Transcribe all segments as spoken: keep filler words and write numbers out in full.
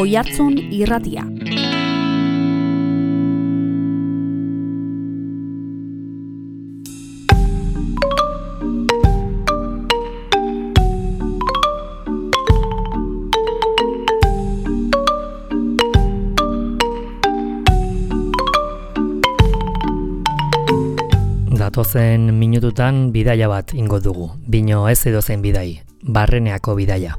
Oihartzun Irratia. Datozen minututan bidaia bat ingo dugu, bino ez edozein bidai, Barreneako bidaia.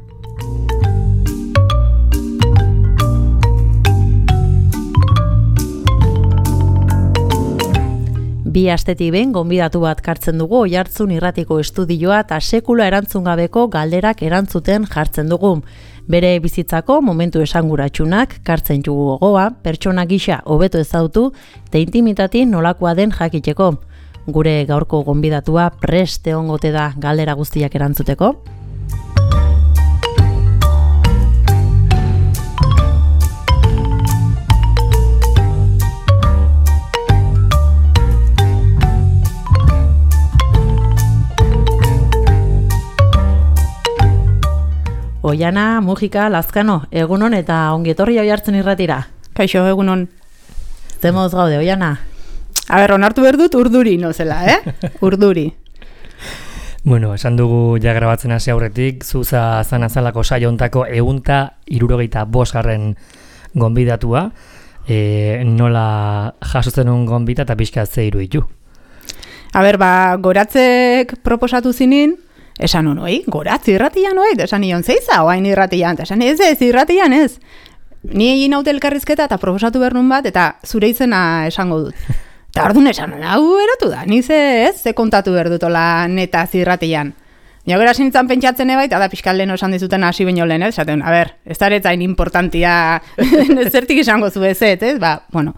Bi astetik behin gonbidatu bat kartzen dugu Oihartzun Irratiko estudioa eta sekula erantzun gabeko galderak erantzuten jartzen dugu. Bere bizitzako momentu esanguratsunak kartzen dugu gogoa, pertsona gisa hobeto ezagutu eta intimitati nolakoa den jakiteko. Gure gaurko gonbidatua prest egongote da galdera guztiak erantzuteko. Oiana, Mujika, Lazkano, egunon eta ongietorri Oihartzun Irratira. Kaixo, egunon. Zemoz gaude, Oiana? A ber, onartu behar dut urduri nozela, eh? Urduri. Bueno, esan dugu ja grabatzen hasi aurretik, zuza zan azalako saio hontako ehunta hirurogeita bosgarren gonbidatua, e, nola jasotzen un gonbita eta pixka ze iruditu. A ber, ba, goratzek proposatu zinin, esan honoi, goratzi irratian oait, esan nion zeiza, oain irratian, esan ez ez, irratian ez. Ni egin haute elkarrizketa eta proposatu behar nun bat, eta zure izena esango dut. Eta orduan esan, hau erotu da, ni ze ez, ze kontatu behar dutola neta zirratian. Nio gara sintzan pentsatzen ebait, eta pixkal leheno esan dizuten hasi baino lehen, ez? Esaten, a ber, ez daretzain importantia, zertik esango zu ezet, ez? Ba, bueno,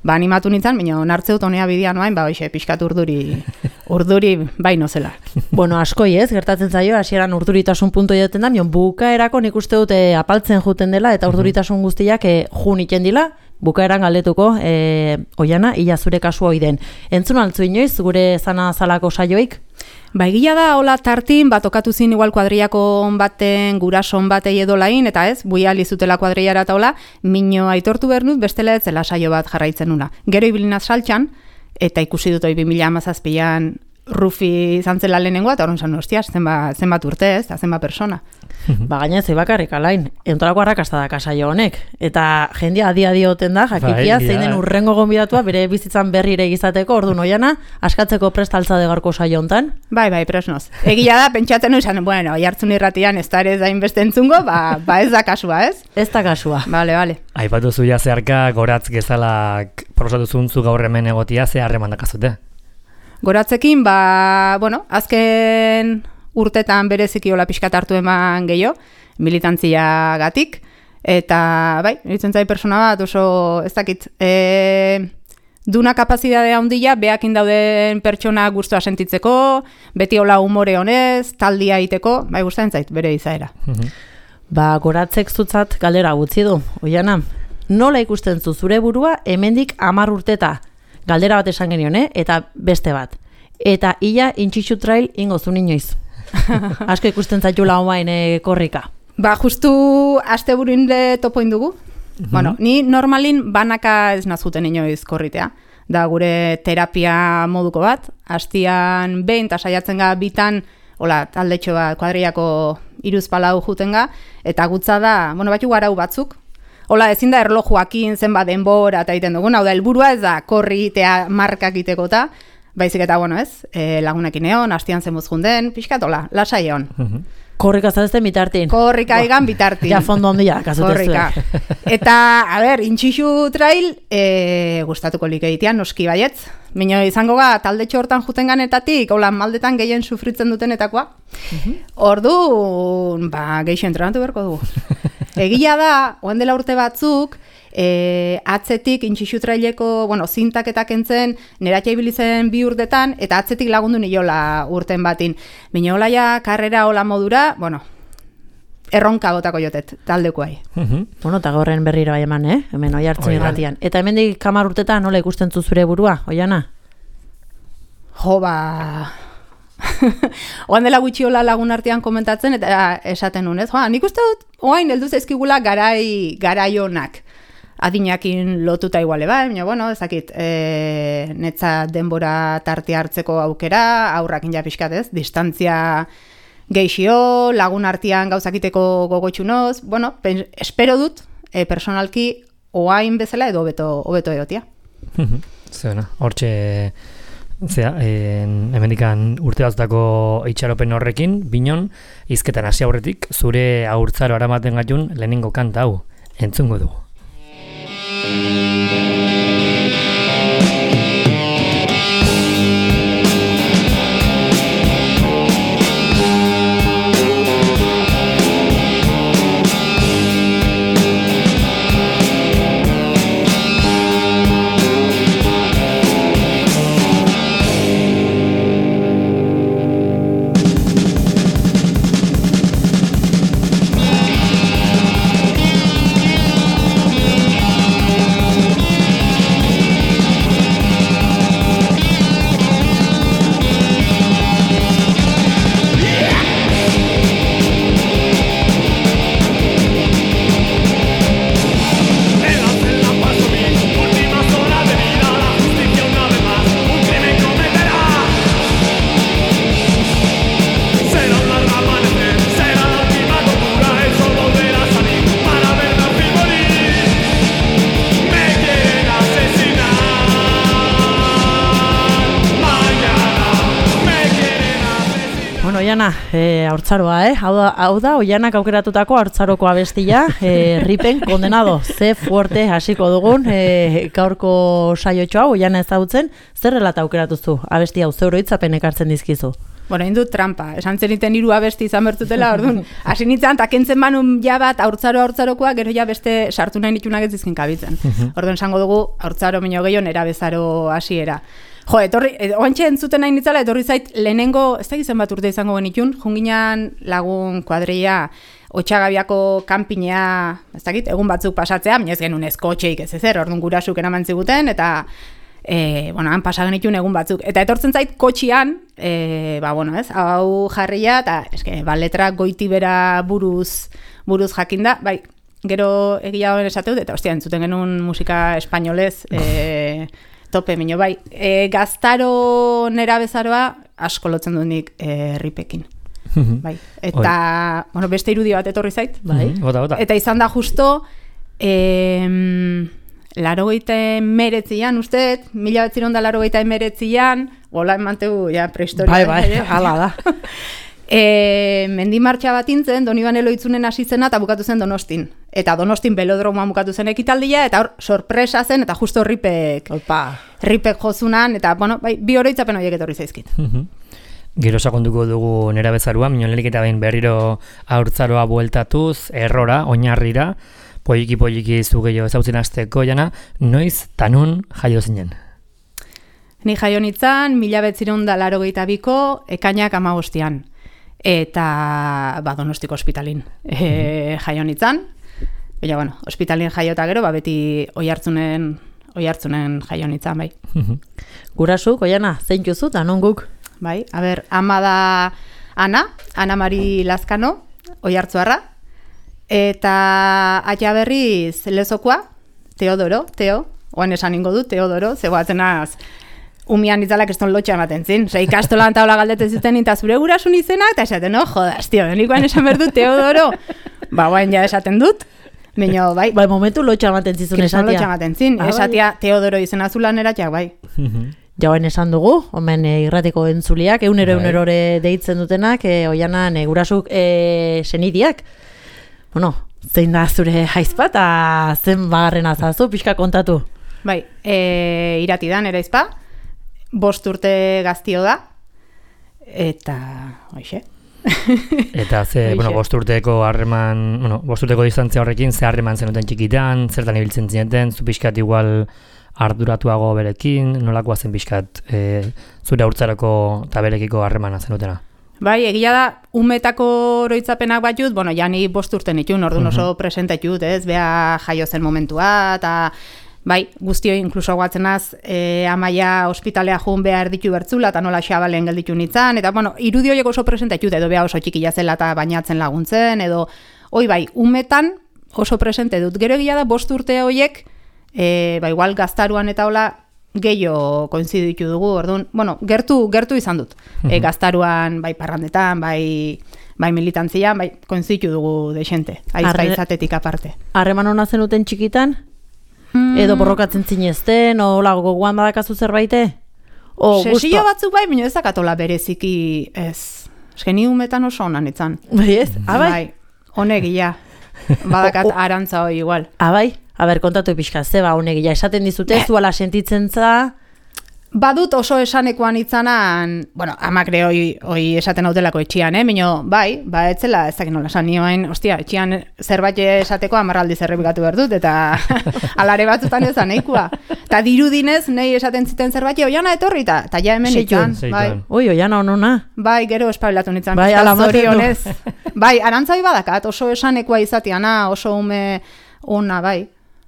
ba, animatu nintzen, baina onartzeut honea bidean oain, ba, hoxe, pixkat urduri, urduri baino zela. Bueno, askoi ez, gertatzen zaio, hasieran urduritasun punto joten da, mion bukaerako nik uste dute apaltzen juten dela, eta urduritasun guztiak e, jun iten dila, bukaeran galdetuko, e, Oiana, ila zure kasua oiden. Entzun altzu inoiz, gure zana zalako saioik? Ba, egia da, hola tartin, bat okatu zin igual kuadriako baten, gurason batei edolain, eta ez, buia alizutela kuadriara eta hola, mino aitortu behar dut, bestela ez zela saio bat jarraitzen nuna. Gero ibilinaz saltxan, eta ikusi dut hori bi mila hamazazpian Rufi izan zela lehenengoa, eta horren zan, ostia, zenbat, zenbat urte ez, eta zenbat persona. Ba, gaina ez bakarrik alain, entorako arrakasta da kasaio honek. Eta jendia adi-adi oten da, jakikia, zein den urrengo gonbidatua, bere bizitzan berrire egizateko, ordu Oiana, askatzeko prestaltza de garko saio hontan. Bai, bai, presnoz. Egia da, pentsatzen izan, bueno, Oihartzun Irratian ez da ere zain beste entzungo, ba, ba ez da kasua, ez? Ez da kasua. Bale, bale. Aipatu zuia zeharka, goratz gezalak prosatu zuntzu gaur hemen egotia, ze harreman dakazute? Goratzekin, ba, bueno, azken urtetan bereziki hola pixkat hartu eman gehiago, militantzia gatik, eta, bai, eritzen zai persona bat, oso, ez dakit, e, duna kapazidadea handia, behakin dauden pertsona gustua sentitzeko, beti hola humore honez, taldia iteko, bai, gustatzen zait, bere izaera. Ba, goratzek zutzat galdera gutzi du, Oiana, nola ikusten zu zure burua hemendik hamar urteta? Galdera bat esan genion, eh? Eta beste bat. Eta ia intxixu trail ingo zu inoiz. Asko ikusten zaitula omain e, korrika. Ba, justu aste buruin le topoin dugu. Mm-hmm. Bueno, ni normalin banaka ez nazuten inoiz korritea. Da gure terapia moduko bat. Astian behin eta saiatzen ga bitan, hola, taldetxo bat, kuadriako iruz palau juten ga, eta gutza da, bueno, batxu garau batzuk, hola, ezin da erlojuakin zenbat denbora eta egiten dugun, hau da, helburua ez da korri itea markak iteko eta, baizik eta, bueno, ez, e, lagunekin egon, hastian zenbuz junden, pixkat, hola, lasai egon. Uh-huh. Korrika zazten bitartin. Korrika egan bitartin. Ja fondo ondia, kasutezue. Korrika. Eta, a ber, intxixu trail, e, gustatuko like egitean, noski baietz. Mino izango ga, taldetxo hortan juten ganetatik, hola, maldetan gehien sufritzen dutenetakoa. Uh-huh. Ordu, ba, geixo entrenatu berko dugu. Egia da, oen dela urte batzuk, e, atzetik intxixu traileko, bueno, zintaketak entzen, neratxa ibilizen bi urtetan, eta atzetik lagundu niola urten batin. Bino hola ja, karrera hola modura, bueno, erronka botako jotet, taldekoai. Uh-huh. Bueno, eta gaurren berriro bai eman, eh? Hemen Oihartzun Irratian. Eta hemendik hamar urtetan nola ikusten zu zure burua, Oiana? Jo, ba... oan dela gutxiola lagun artean komentatzen, eta esaten nuen, ez? Joa, nik uste dut, oain heldu zaizkigula garai, garaionak. Adinakin lotuta iguale bai, baina, bueno, ezakit, e, netza denbora tarte hartzeko aukera, aurrakin ja pixkat, ez? Distantzia geixio, lagun artean gauzakiteko gogotxunoz, bueno, pen, espero dut, e, personalki, oain bezala edo hobeto hobeto egotia. Zena, hortxe, zera, hemendikan urte batzutako itxaropen horrekin, binon, hizketan hasi aurretik, zure haurtzaro aramaten gaitun lehenengo kanta hau, entzungo dugu. Oiana, e, haurtzaroa, eh? Hau da, hau da Oianak aukeratutako haurtzaroko abestia, e, ripen kondenado, ze fuerte hasiko dugun, e, gaurko saiotxo hau, Oiana ezagutzen, zer relata aukeratuzu, abesti hau, zeuro hitzapen ekartzen dizkizu? Bueno, indut trampa, esan zeniten hiru abesti izan bertutela, orduan, hasi nintzen, eta kentzen manun ja bat haurtzaro haurtzarokoa, gero ja beste sartu nahi nitunak ez dizkin kabitzen. Orduan esango dugu, haurtzaro minio gehiago, nera bezaro hasiera. Jo, etorri, oantxe entzuten nahi nitzala, etorri zait lehenengo, ez da gizan bat urte izango genitun, junginan lagun kuadreia, Otxagabiako kanpinea, ez dakit, egun batzuk pasatzea, minez genuen ez kotxeik ez ezer, orduan gurasuk eraman ziguten, eta e, bueno, han pasa genitun egun batzuk. Eta etortzen zait kotxian, e, ba, bueno, ez, hau jarria, eta eske, ba, letra goitibera buruz, buruz jakinda, bai, gero egia honen esateu, eta ostia, entzuten genuen musika espainolez, e, tope minio, bai. E, gaztaro nera bezaroa asko lotzen duenik e, ripekin. Bai. Eta, bueno, beste irudi bat etorri zait. Bai. Bota, bota. Eta izan da justo, e, larogeita emeretzian, uste, mila betziron da larogeita emeretzian, gola emantegu, ja, prehistoria. Bai, bai, hala da. E, mendimartxa bat intzen, Donibane Loitzunen hasi zena eta bukatu zen Donostin. Eta Donostin belodromoan bukatu zen ekitaldia, eta hor sorpresa zen, eta justo ripek, Opa. ripek jozunan, eta bueno, bai, bi oroitzapen horiek etorri zaizkit. Gero sakonduko dugu nera bezarua, minolerik eta behin berriro haurtzaroa bueltatuz, errora, oinarrira, poliki poliki zu gehiago ezautzen hasteko, Jana, noiz tanun jaio zinen? Ni jaio nintzen, mila betziron da larogeita biko, ekainak hamabostian. Eta ba, Donostiko ospitalin e, jaio nintzen. Baina, bueno, ospitalin jaiota gero, ba, beti oihartzunen, oihartzunen jaio nintzen, bai. Gurasuk, Oiana, zein juzu, eta non guk? Bai, a ber, ama da Ana, Ana Mari Lazkano, oihartzuarra. Eta aia berriz lezokoa, Teodoro, Teo, oan esan ingo du, Teodoro, zegoatzen az, umian itzalak eston lotxa ematen zin. Osa, ikastolan taula galdetzen zuten eta zure gurasun izenak, eta esaten, no, jodas, tio, denikoan esan behar dut Teodoro. Ba, guain ja esaten dut. Baina, bai. Bai, momentu lotxa ematen zizun esatia. Lotxa ematen zin, ah, esatia bai. Teodoro izena zulan eratxak, bai. Jauen esan dugu, omen e, irratiko entzuliak, eunero bai. eunerore deitzen dutenak, e, Oianan e, gurasuk e, senidiak. Bueno, zein da zure haizpa, eta zen bagarren azazu, pixka kontatu. Bai, e, iratidan, ere izpa. Bost urte gaztio da, eta, hoxe. Eta ze, bueno, bost urteko harreman, bueno, bost urteko distantzia horrekin, ze harreman zenuten txikitan, zertan ibiltzen zineten, zu pixkat igual arduratuago berekin, nolakoa zen pixkat e, zure haurtzarako eta berekiko harremana zenutena? Bai, egia da, umetako oroitzapenak bat jut, bueno, ja ni bost urte nitun, orduan oso presente jut, ez, beha jaio zen momentua, eta bai, guztioi inkluso guatzenaz, e, amaia ospitalea joan behar ditu bertzula, eta nola xabalen gelditu nintzen, eta bueno, irudi horiek oso presente ditut, edo beha oso txikila zela eta bainatzen laguntzen, edo, oi bai, umetan oso presente dut. Gero egia da, bost urte horiek, e, ba, igual gaztaruan eta hola, gehiago koinziditu dugu, orduan, bueno, gertu, gertu izan dut. E, gaztaruan, bai parrandetan, bai, bai militantzian, bai koinziditu dugu deixente, aizka izatetik aparte. Harreman hona zenuten txikitan? Mm. Edo borrokatzen zinezten, o lago gogoan badakazu zerbaite? Sesio batzuk bai, baina ez dakatola bereziki ez. Eskeni umetan oso honan etzan. Bai ez? Abai? Bai, honegia. Badakat arantza hoi igual. Abai? Aber, kontatu pixka, zeba honegia, esaten dizute, zuala sentitzen za... Badut oso esanekoan itzanan, bueno, amakre hoi, hoi esaten hautelako etxian, eh? Mino, bai, ba, etzela, ez dakit nola esan nioen, ostia, etxian zerbait esateko amarraldi zerrepikatu behar dut, eta alare batzutan ezan neikua. Eta dirudinez, nahi esaten ziten zerbait, oiana etorri, eta ja hemen itzan. Bai. Oi, oiana honona. Bai, gero espabilatu nitzan. Bai, alamazionez. Bai, arantzai badakat, oso esanekoa izatiana, oso ume ona, bai.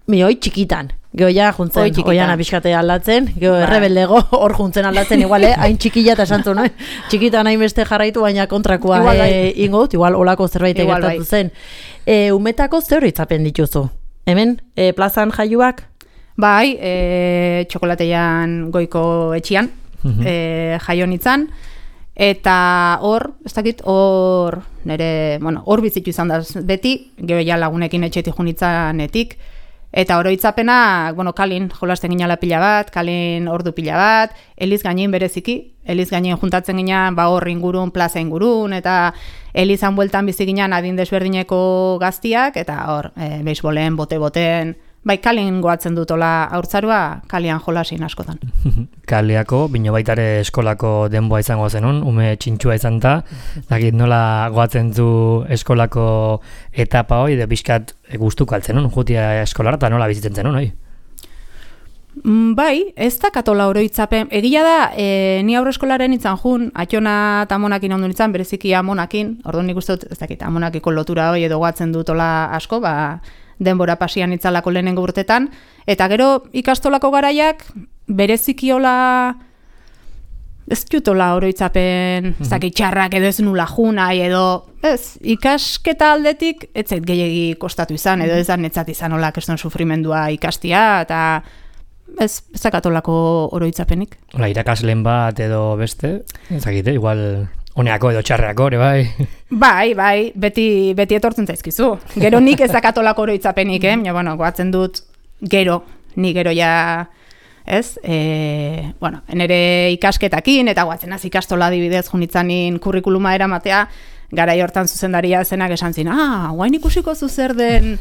Mi, oi txikitan. Geo ja juntzen, oiana pixkate aldatzen, geo errebeldego hor juntzen aldatzen, igual, eh? Hain txikila eta esantu, no? Txikitan hain beste jarraitu, baina kontrakoa igual, eh, ingo dut, igual olako zerbait gertatu zen. E, umetako zer hitzapen dituzu? Hemen, e, plazan jaioak? Bai, e, txokolatean goiko etxian, mm-hmm. e, jaio nitzan, eta hor, ez dakit, hor, nire, bueno, hor bizitu izan da beti, gero ja lagunekin etxetik junitzanetik, eta oroitzapenak, bueno, kalin jolasten ginala pila bat, kalin ordu pila bat, Eliz gainin bereziki, Eliz gainin juntatzen ginean, ba hor ingurun, plaza ingurun, eta Elizan bueltan bizi ginean adin desberdineko gaztiak, eta hor, e, beisbolen, bote-boten, bai, kalin goatzen dutola haurtzarua, kalian jolasin askotan. Kaliako, bino baitare eskolako denboa izango zenun, ume txintxua izan ta, dakit nola goatzen du eskolako etapa hoi, de bizkat gustuko altzen, jutia eskolara, eta nola bizitzen zenun, hoi? Bai, ez da katola oroitzapen. Egia da, e, ni aurreskolaren itzan jun, atxona eta amonakin ondu nitzan, bereziki amonakin, orduan nik uste dut, ez dakit, amonakiko lotura hoi edo goatzen dutola asko, ba, denbora pasian itzalako lehenengo urtetan, eta gero ikastolako garaiak berezikiola ez jutola oroitzapen, ez dakit txarrak edo ez nula junai edo, ez, ikasketa aldetik ez zait gehiagi kostatu izan, edo ez da netzat izan hola keston sufrimendua ikastia, eta ez, ez dakatolako oroitzapenik. Hola, irakasleen bat edo beste, ez dakite, igual... Honeako edo txarreako, ere bai? Bai, bai, beti, beti etortzen zaizkizu. Gero nik ez dakatolako oroitzapenik, eh? Ja, bueno, goatzen dut gero, ni gero ja, ez? E, bueno, nire ikasketakin, eta goatzen az ikastola adibidez junitzanin kurrikuluma eramatea, garai hortan zuzendaria zenak esan zin, ah, guain ikusiko zuzer den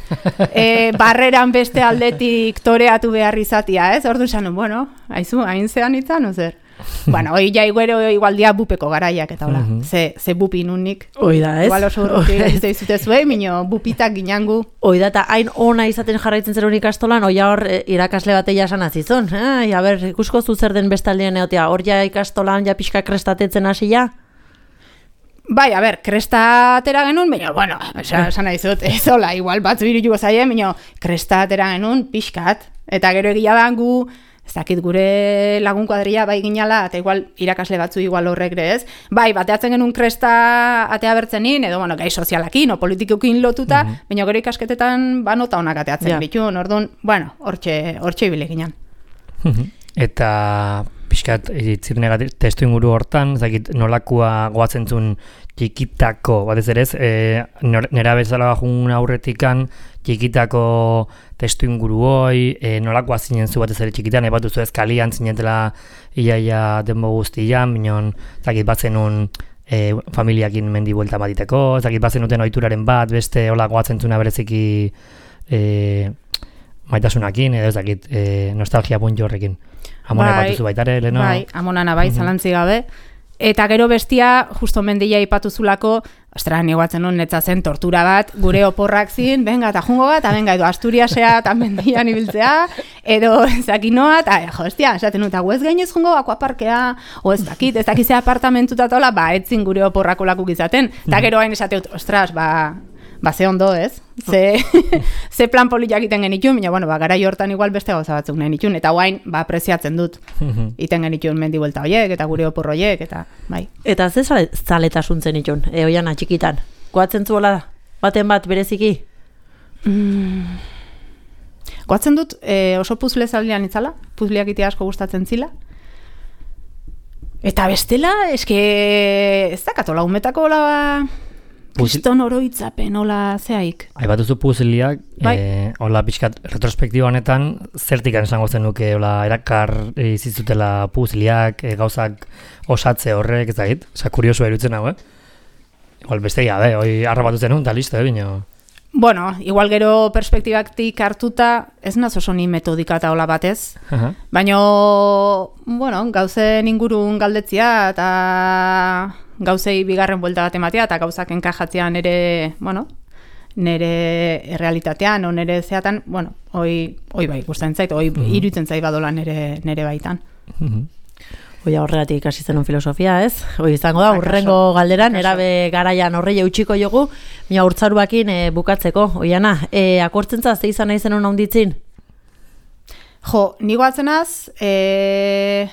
e, barreran beste aldetik toreatu behar izatia, ez? Ordu esan, bueno, haizu, hain zean itzan, ozer? Bueno, hoi ja iguero igualdia bupeko garaiak eta hola, uh-huh. ze, ze bupi nunik. Oida, ez? Igual oso urruti ez zute zuen, minio bupitak ginangu. Oida, eta hain ona izaten jarraitzen zer honik ikastolan, oia hor irakasle bateia esan azizon. Ai, a ber, ikusko zu zer den bestaldean egotea, hor ja ikastolan ja pixka krestatetzen hasi ja? Bai, a ber, kresta atera genuen, baina, bueno, esan nahi zut, ez hola, igual batzu irituko zaien, baina kresta atera genuen pixkat, eta gero egia bangu, ez dakit gure lagun kuadria bai ginala, eta igual irakasle batzu igual horrek ez. Bai, bateatzen genuen kresta atea bertzenin, edo bueno, gai sozialakin, o politikokin lotuta, mm-hmm. baina gero ikasketetan banota honak ateatzen yeah. bitun, orduan, bueno, hortxe, hortxe ibile ginen. Eta pixkat, itzirnegat testu inguru hortan, ez dakit nolakoa goatzen zuen txikitako, batez ere ez, e, nera bezala jun aurretikan, txikitako testu inguru hoi, e, nolakoa zinen zu batez ere txikitan, ebatu zu ez kalian zinetela iaia denbo guztian, minon, zakit bat zenun e, familiakin mendi buelta batiteko, zakit bat zenuten ohituraren bat, beste hola goatzen zuna bereziki e, maitasunakin, edo ez dakit, e, nostalgia puntu horrekin. Amona bai, epatuzu baitare, leno? Bai, amonana bai, mm-hmm. zalantzi gabe. Eta gero bestia, justo mendia ipatuzulako, ostra, nigoatzen nun netza zen tortura bat, gure oporrak zin, venga, eta jungo bat, eta venga, edo Asturiasea, eta mendian ibiltzea, edo zakinoa, eta jo, estia, esaten nun, eta guez gainez jungo, akuaparkea, o ez dakit, ez dakizea apartamentuta tola, ba, etzin gure oporrako lakuk izaten, eta gero hain esateut, ostras, ba, ba, ze ondo, ez? Ze, ze plan poliak iten genitun, baina, bueno, ba, garai hortan igual beste gauza batzuk nahi nitun, eta guain, ba, apreziatzen dut, iten genitun mendi buelta hoiek, eta gure opor hoiek, eta, bai. Eta ze zale, zaletasuntzen nitun, e, oiana, txikitan? Goatzen zuela, baten bat bereziki? Mm. Goatzen dut, e, oso puzle zaldean itzala, puzleak ite asko gustatzen zila, eta bestela, eske, ez dakatola, umetako la... Kriston oroitzapen, hola zeaik. Aibatu zu puzliak, bai. e, hola pixkat retrospektiba honetan, zertikan esango zen nuke, hola erakar izizutela puzliak, e, gauzak osatze horrek, ez da hit, oza, kurioso erutzen hau, eh? Igual beste gabe, hoi arrabatu zen un, eta listo, eh, bino. Bueno, igual gero perspektibaktik hartuta, ez naz oso ni metodika eta hola batez, uh-huh. Baina, bueno, gauzen ingurun galdetzia, eta gauzei bigarren buelta bat ematea, eta gauzak enkajatzean nere, bueno, nere realitatean, o nere zeatan, bueno, hoi, hoi bai, gustatzen zait, hoi uh-huh. iruditzen zait badola nere, nere baitan. Uh-huh. Oia horregatik ikasi zenun filosofia, ez? Hoi izango da, urrengo galderan, erabe garaian horrei eutxiko jogu, mina urtzaruakin e, bukatzeko. Oiana, e, akortzen zaz, ze izan nahi zenun haunditzin? Jo, nigo atzenaz, e,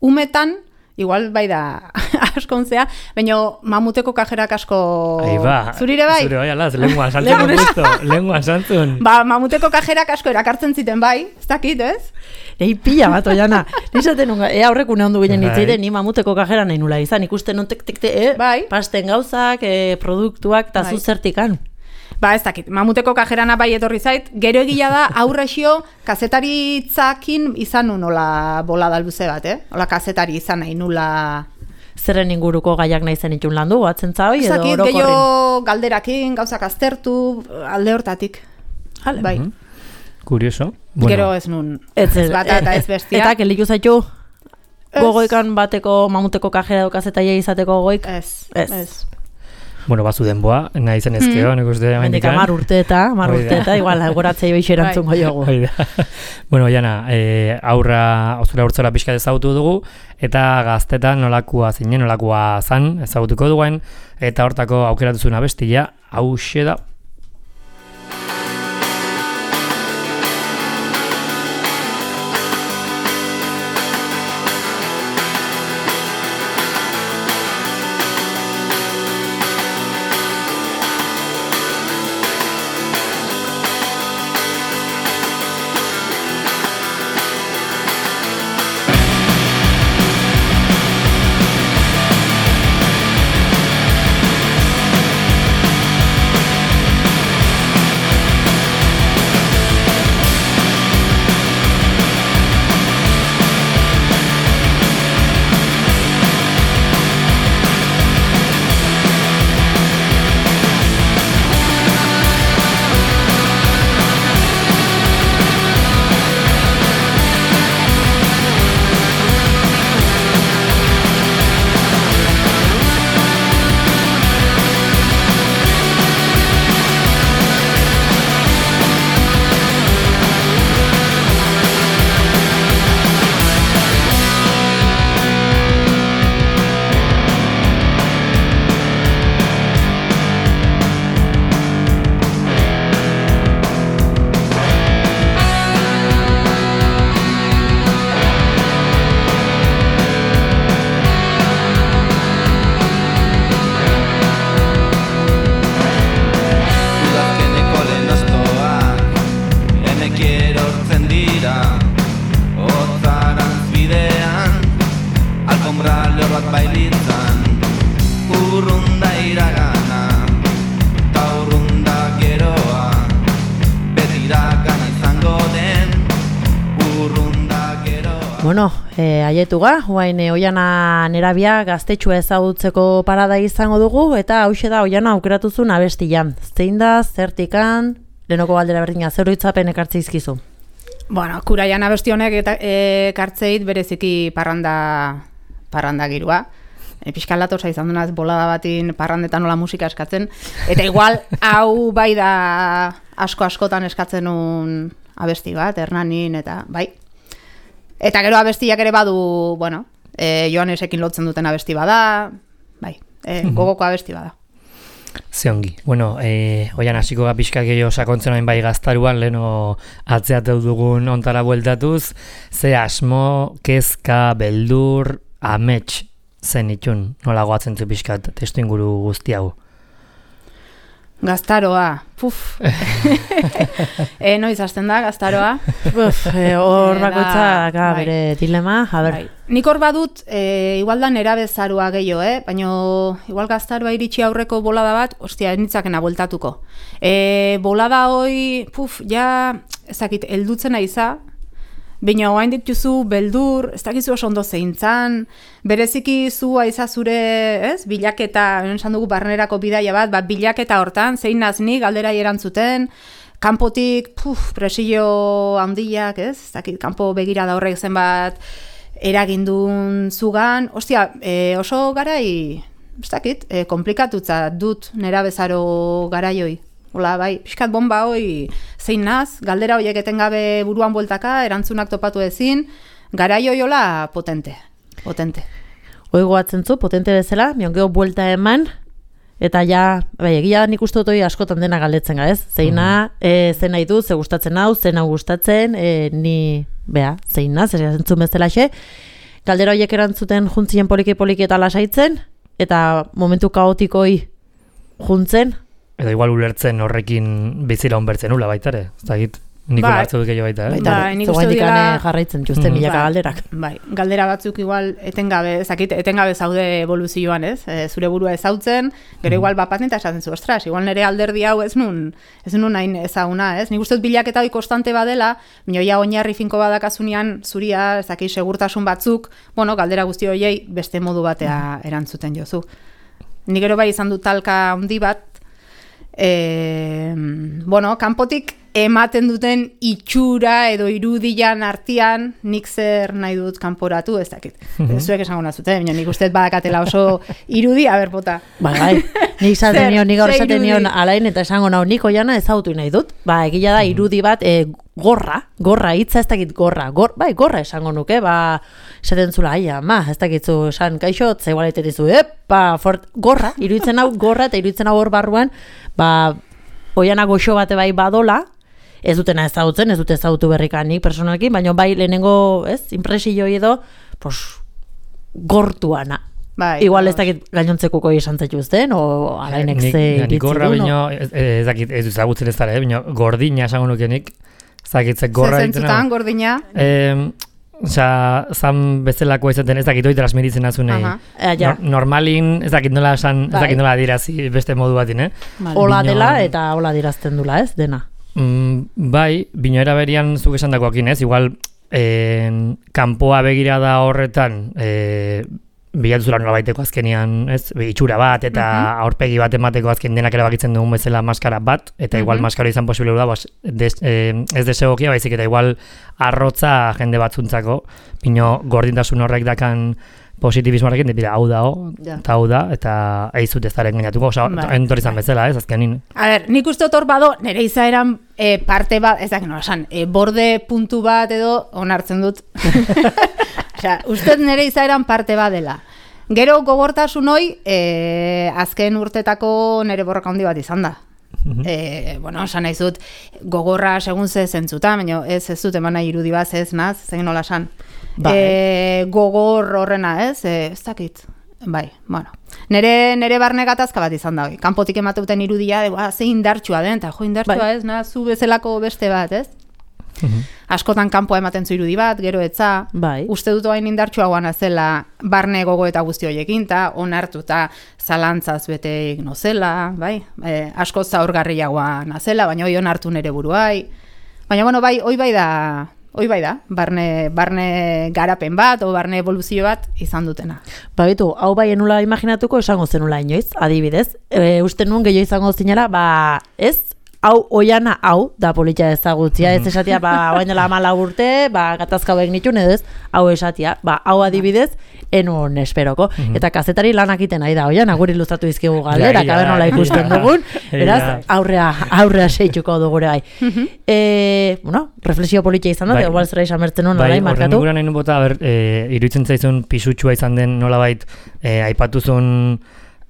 umetan, igual bai da askontzea, baina mamuteko kajerak asko... Aiba, zurire bai? Zure bai, alaz, lenguan santzun gusto, lenguan santzun. Ba, mamuteko kajerak asko erakartzen ziten bai, ez dakit, ez? Ei, pila bat, Oiana. Nizaten nunga, ea horrek une ondu ginen nitzide, ni mamuteko kajera nahi nula izan, ikusten non tek tek te, eh? Bai. Pasten gauzak, eh, produktuak, eta bai. zuzertikan. Ba, ez dakit, mamuteko kajerana bai etorri zait, gero egila da, aurrexio, kazetaritzakin izan nun hola bola dalbuze bat, eh? Hola kazetari izan nahi nula... Zerren inguruko gaiak nahi zen itun landu, batzen zahoi edo orokorrin? orokorrin? Gehiago galderakin, gauzak aztertu, alde hortatik. Hale. Bai. Uh-huh. Kurioso. Bueno. Gero ez nun, ez, ez bata eta ez bestia. Eta keliku zaitu gogoikan bateko mamuteko kajera edo kazetaia izateko gogoik? Ez, ez. ez. Bueno, bazu denboa, nahi zen ezkeo, nik uste da mendikan. Mar urte eta, mar urte eta, igual, goratzei behixo erantzungo jogu. Bueno, Oiana, e, aurra, osura urtzora pixka ezagutu dugu, eta gaztetan nolakoa zinen, nolakoa zan ezagutuko duen, eta hortako aukeratuzuna bestia, hauxe da. Bueno, e, aietuga, guain e, Oiana nerabia gaztetxua ezagutzeko parada izango dugu, eta hauxe da Oiana aukeratuzun abestian. Zein da, zertikan, lehenoko galdera berdina, zer oroitzapen ekartze izkizu? Bueno, kuraian abesti honek eta ekartzeit bereziki parranda, parranda girua. E, Piskan latosa izan dunaz bolada batin parrandetan nola musika eskatzen. Eta igual, hau bai da asko askotan eskatzen un abesti bat, Hernanin, eta bai. Eta gero abestiak ere badu, bueno, e, Joanesekin lotzen duten abesti bada, bai, e, gogoko abesti bada. Zeongi. Bueno, eh, oian hasiko ga pixka gehiago sakontzen oin bai gaztaruan, leheno atzeateu dugun ontara bueltatuz, ze asmo, kezka, beldur, amets zen itxun, nola goatzen zu pixkat testu inguru guzti hau. Gaztaroa, puf. e, noiz hasten da, gaztaroa? Uf, e, hor bakoitzak bai. Bere dilema, a ber. Bai. Nik hor badut, e, igual da nera bezaroa gehiago, eh? Baina igual gaztaroa iritsi aurreko bolada bat, ostia, nitzakena bueltatuko. E, bolada hoi, puf, ja, ezakit, eldutzen aiza, baina oain dituzu beldur, ez dakizu oso ondo zeintzan, bereziki zu aiza zure, ez, bilaketa, esan dugu barnerako bidaia bat, bat bilaketa hortan, zein nazni, galderai erantzuten, kanpotik, puf, presillo handiak, ez, ez dakit, kanpo begirada horrek zenbat eragindun zugan, ostia, e, oso garai, ez dakit, e, komplikatutza dut nera bezaro garaioi. Hola, bai, pixkat bomba hoi zein naz, galdera horiek etengabe buruan bueltaka, erantzunak topatu ezin, garaio jola potente, potente. Hoi goatzen zu, potente bezala, miongeo buelta eman, eta ja, bai, egia nik uste dut hori askotan dena galdetzen ga, ez? Zeina, mm. e, zen nahi du, ze gustatzen hau, zen hau gustatzen, e, ni, bea, zein naz, ez entzun bezala xe, galdera horiek erantzuten juntzien poliki-poliki eta lasaitzen, eta momentu kaotikoi juntzen, edo igual ulertzen horrekin bizira onbertzen ula baita ere, ez da git, niko ba, hartzu duk egin baita, eh? Baita, bai, nik uste dira jarraitzen txuzten mm, milaka ba, galderak. Bai, galdera batzuk igual etengabe, ezakit, etengabe zaude evoluzioan, ez? E, zure burua ezautzen, gero igual bapaten eta esaten zu, ostras, igual nire alderdi hau ez nun, ez nun hain ezaguna, ez? Nik uste dut bilaketa hoi konstante badela, minoia oinarri finko badakasunean zuria, ezakit, segurtasun batzuk, bueno, galdera guzti horiei beste modu batea erantzuten jozu. Nik gero bai izan dut talka handi bat, E, bueno, kanpotik ematen duten itxura edo irudian artean nik zer nahi dut kanporatu, ez dakit. Mm-hmm. Zuek esango nazute, baina nik usteet badakatela oso irudi, aber bota. Ba, bai, nik zaten nion, nik gaur zaten nion alain eta esango nau nik oiana ezautu nahi dut. Ba, egila da irudi bat e, gorra, gorra, hitza ez dakit gorra, gor, bai, gorra esango nuke, ba, esaten zula, aia, ma, ez dakitzu esan kaixo, zeigualetet dizu, epa, fort, gorra, iruditzen hau gorra eta iruditzen hau hor barruan, ba, oiana goxo bate bai badola, ez dutena ezagutzen, ez dute ezagutu berrikanik personalkin, baina bai lehenengo, ez, impresio edo, pos, gortuana. Bai, igual ez dakit gainontzekuko izan zaituzten, o alainek ze iritzen du. Nik gorra bino, ez dakit, ez ezagutzen ez dara, bino, gordina esango nukenik, ez dakit, ze gorra ditzen. Zezentzutan, gordina? Osa, zan bezalako izaten ez dakit hori transmititzen azunei. Uh-huh. no, normalin, ez dakit nola esan, ez dakit nola dirazi beste modu batin, eh? Hola dela eta hola dirazten dula, ez, dena? Mm, bai, bino eraberian zuk esan dakoakin, ez? Igual, eh, kanpoa begirada horretan, eh, bilatzula nola baiteko azkenian, ez? Itxura bat eta uh-huh. aurpegi bat emateko azken denak erabakitzen dugun bezala maskara bat, eta uh-huh. igual maskara izan posible da, bas, des, eh, ez desegokia, baizik eta igual arrotza jende batzuntzako, bino gordintasun horrek dakan positibismoarekin, dira, hau da, eta hau da, eta eizut ez daren gainatuko, oza, entor izan bezala, ez, azkenin. A ber, nik uste otor bado, nire izaeran e, parte bat, ez dakit, no, esan, e, borde puntu bat edo onartzen dut. Osea, uste nire izaeran parte bat dela. Gero gogortasun hoi, e, azken urtetako nire borroka handi bat izan da. E, bueno, esan nahi zut, gogorra segun ze zentzuta, baina ez ez dut eman nahi irudi bat, ez naz, zegin nola esan. Ba, e, gogor horrena, ez, e, ez dakit, bai, bueno. Nere, nere barne gatazka bat izan da, oi. Kanpotik emateuten irudia, de, ba, ze indartsua den, eta jo indartsua bai. Ez, na, zu bezalako beste bat, ez? Uhum. Askotan kanpoa ematen zu irudi bat, gero etza, bai. Uste dut hain indartsua guana zela barne gogo eta guzti horiekin, eta onartuta zalantzaz bete nozela, bai? E, asko zaurgarriagoa nazela, baina hoi onartu nere buruai. Baina, bueno, bai, hoi bai da, hoi bai da, barne, barne garapen bat, o barne evoluzio bat izan dutena. Ba, bitu, hau bai enula imaginatuko esango zenula inoiz, adibidez. E, uste nuen gehiago izango zinela, ba, ez? Hau, oiana, hau, da politia ezagutzia, ez esatia, ba, baina la mala urte, ba, gatazka hauek nitun, edo ez, hau esatia, ba, hau adibidez, enun esperoko. Mm-hmm. Eta kazetari lanak iten nahi da, oian, aguri ilustratu izkigu galderak, ja, ja, aber nola ikusten dugun, beraz, aurrea, aurrea seitzuko dugure gai. Mm-hmm. E, bueno, reflexio politia izan da, igual zera izan bertzen hona, bai, markatu. Bai, horren nahi bota, ber, e, iruditzen zaizun pisutxua izan den nolabait, e, aipatuzun,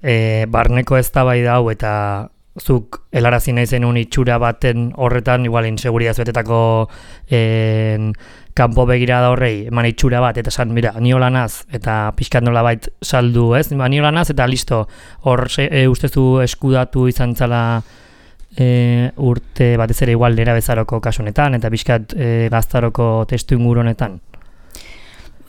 e, barneko eztabaida hau eta zuk helarazi nahi zenun itxura baten horretan, igual inseguridad betetako en, kanpo begirada horrei, eman itxura bat, eta esan, mira, niola naz, eta pixkat nola bait saldu, ez? Niola naz, eta listo, hor e, ustezu eskudatu izan zala e, urte batez ere igual nera bezaroko kasunetan, eta pixkat e, gaztaroko testu inguru honetan.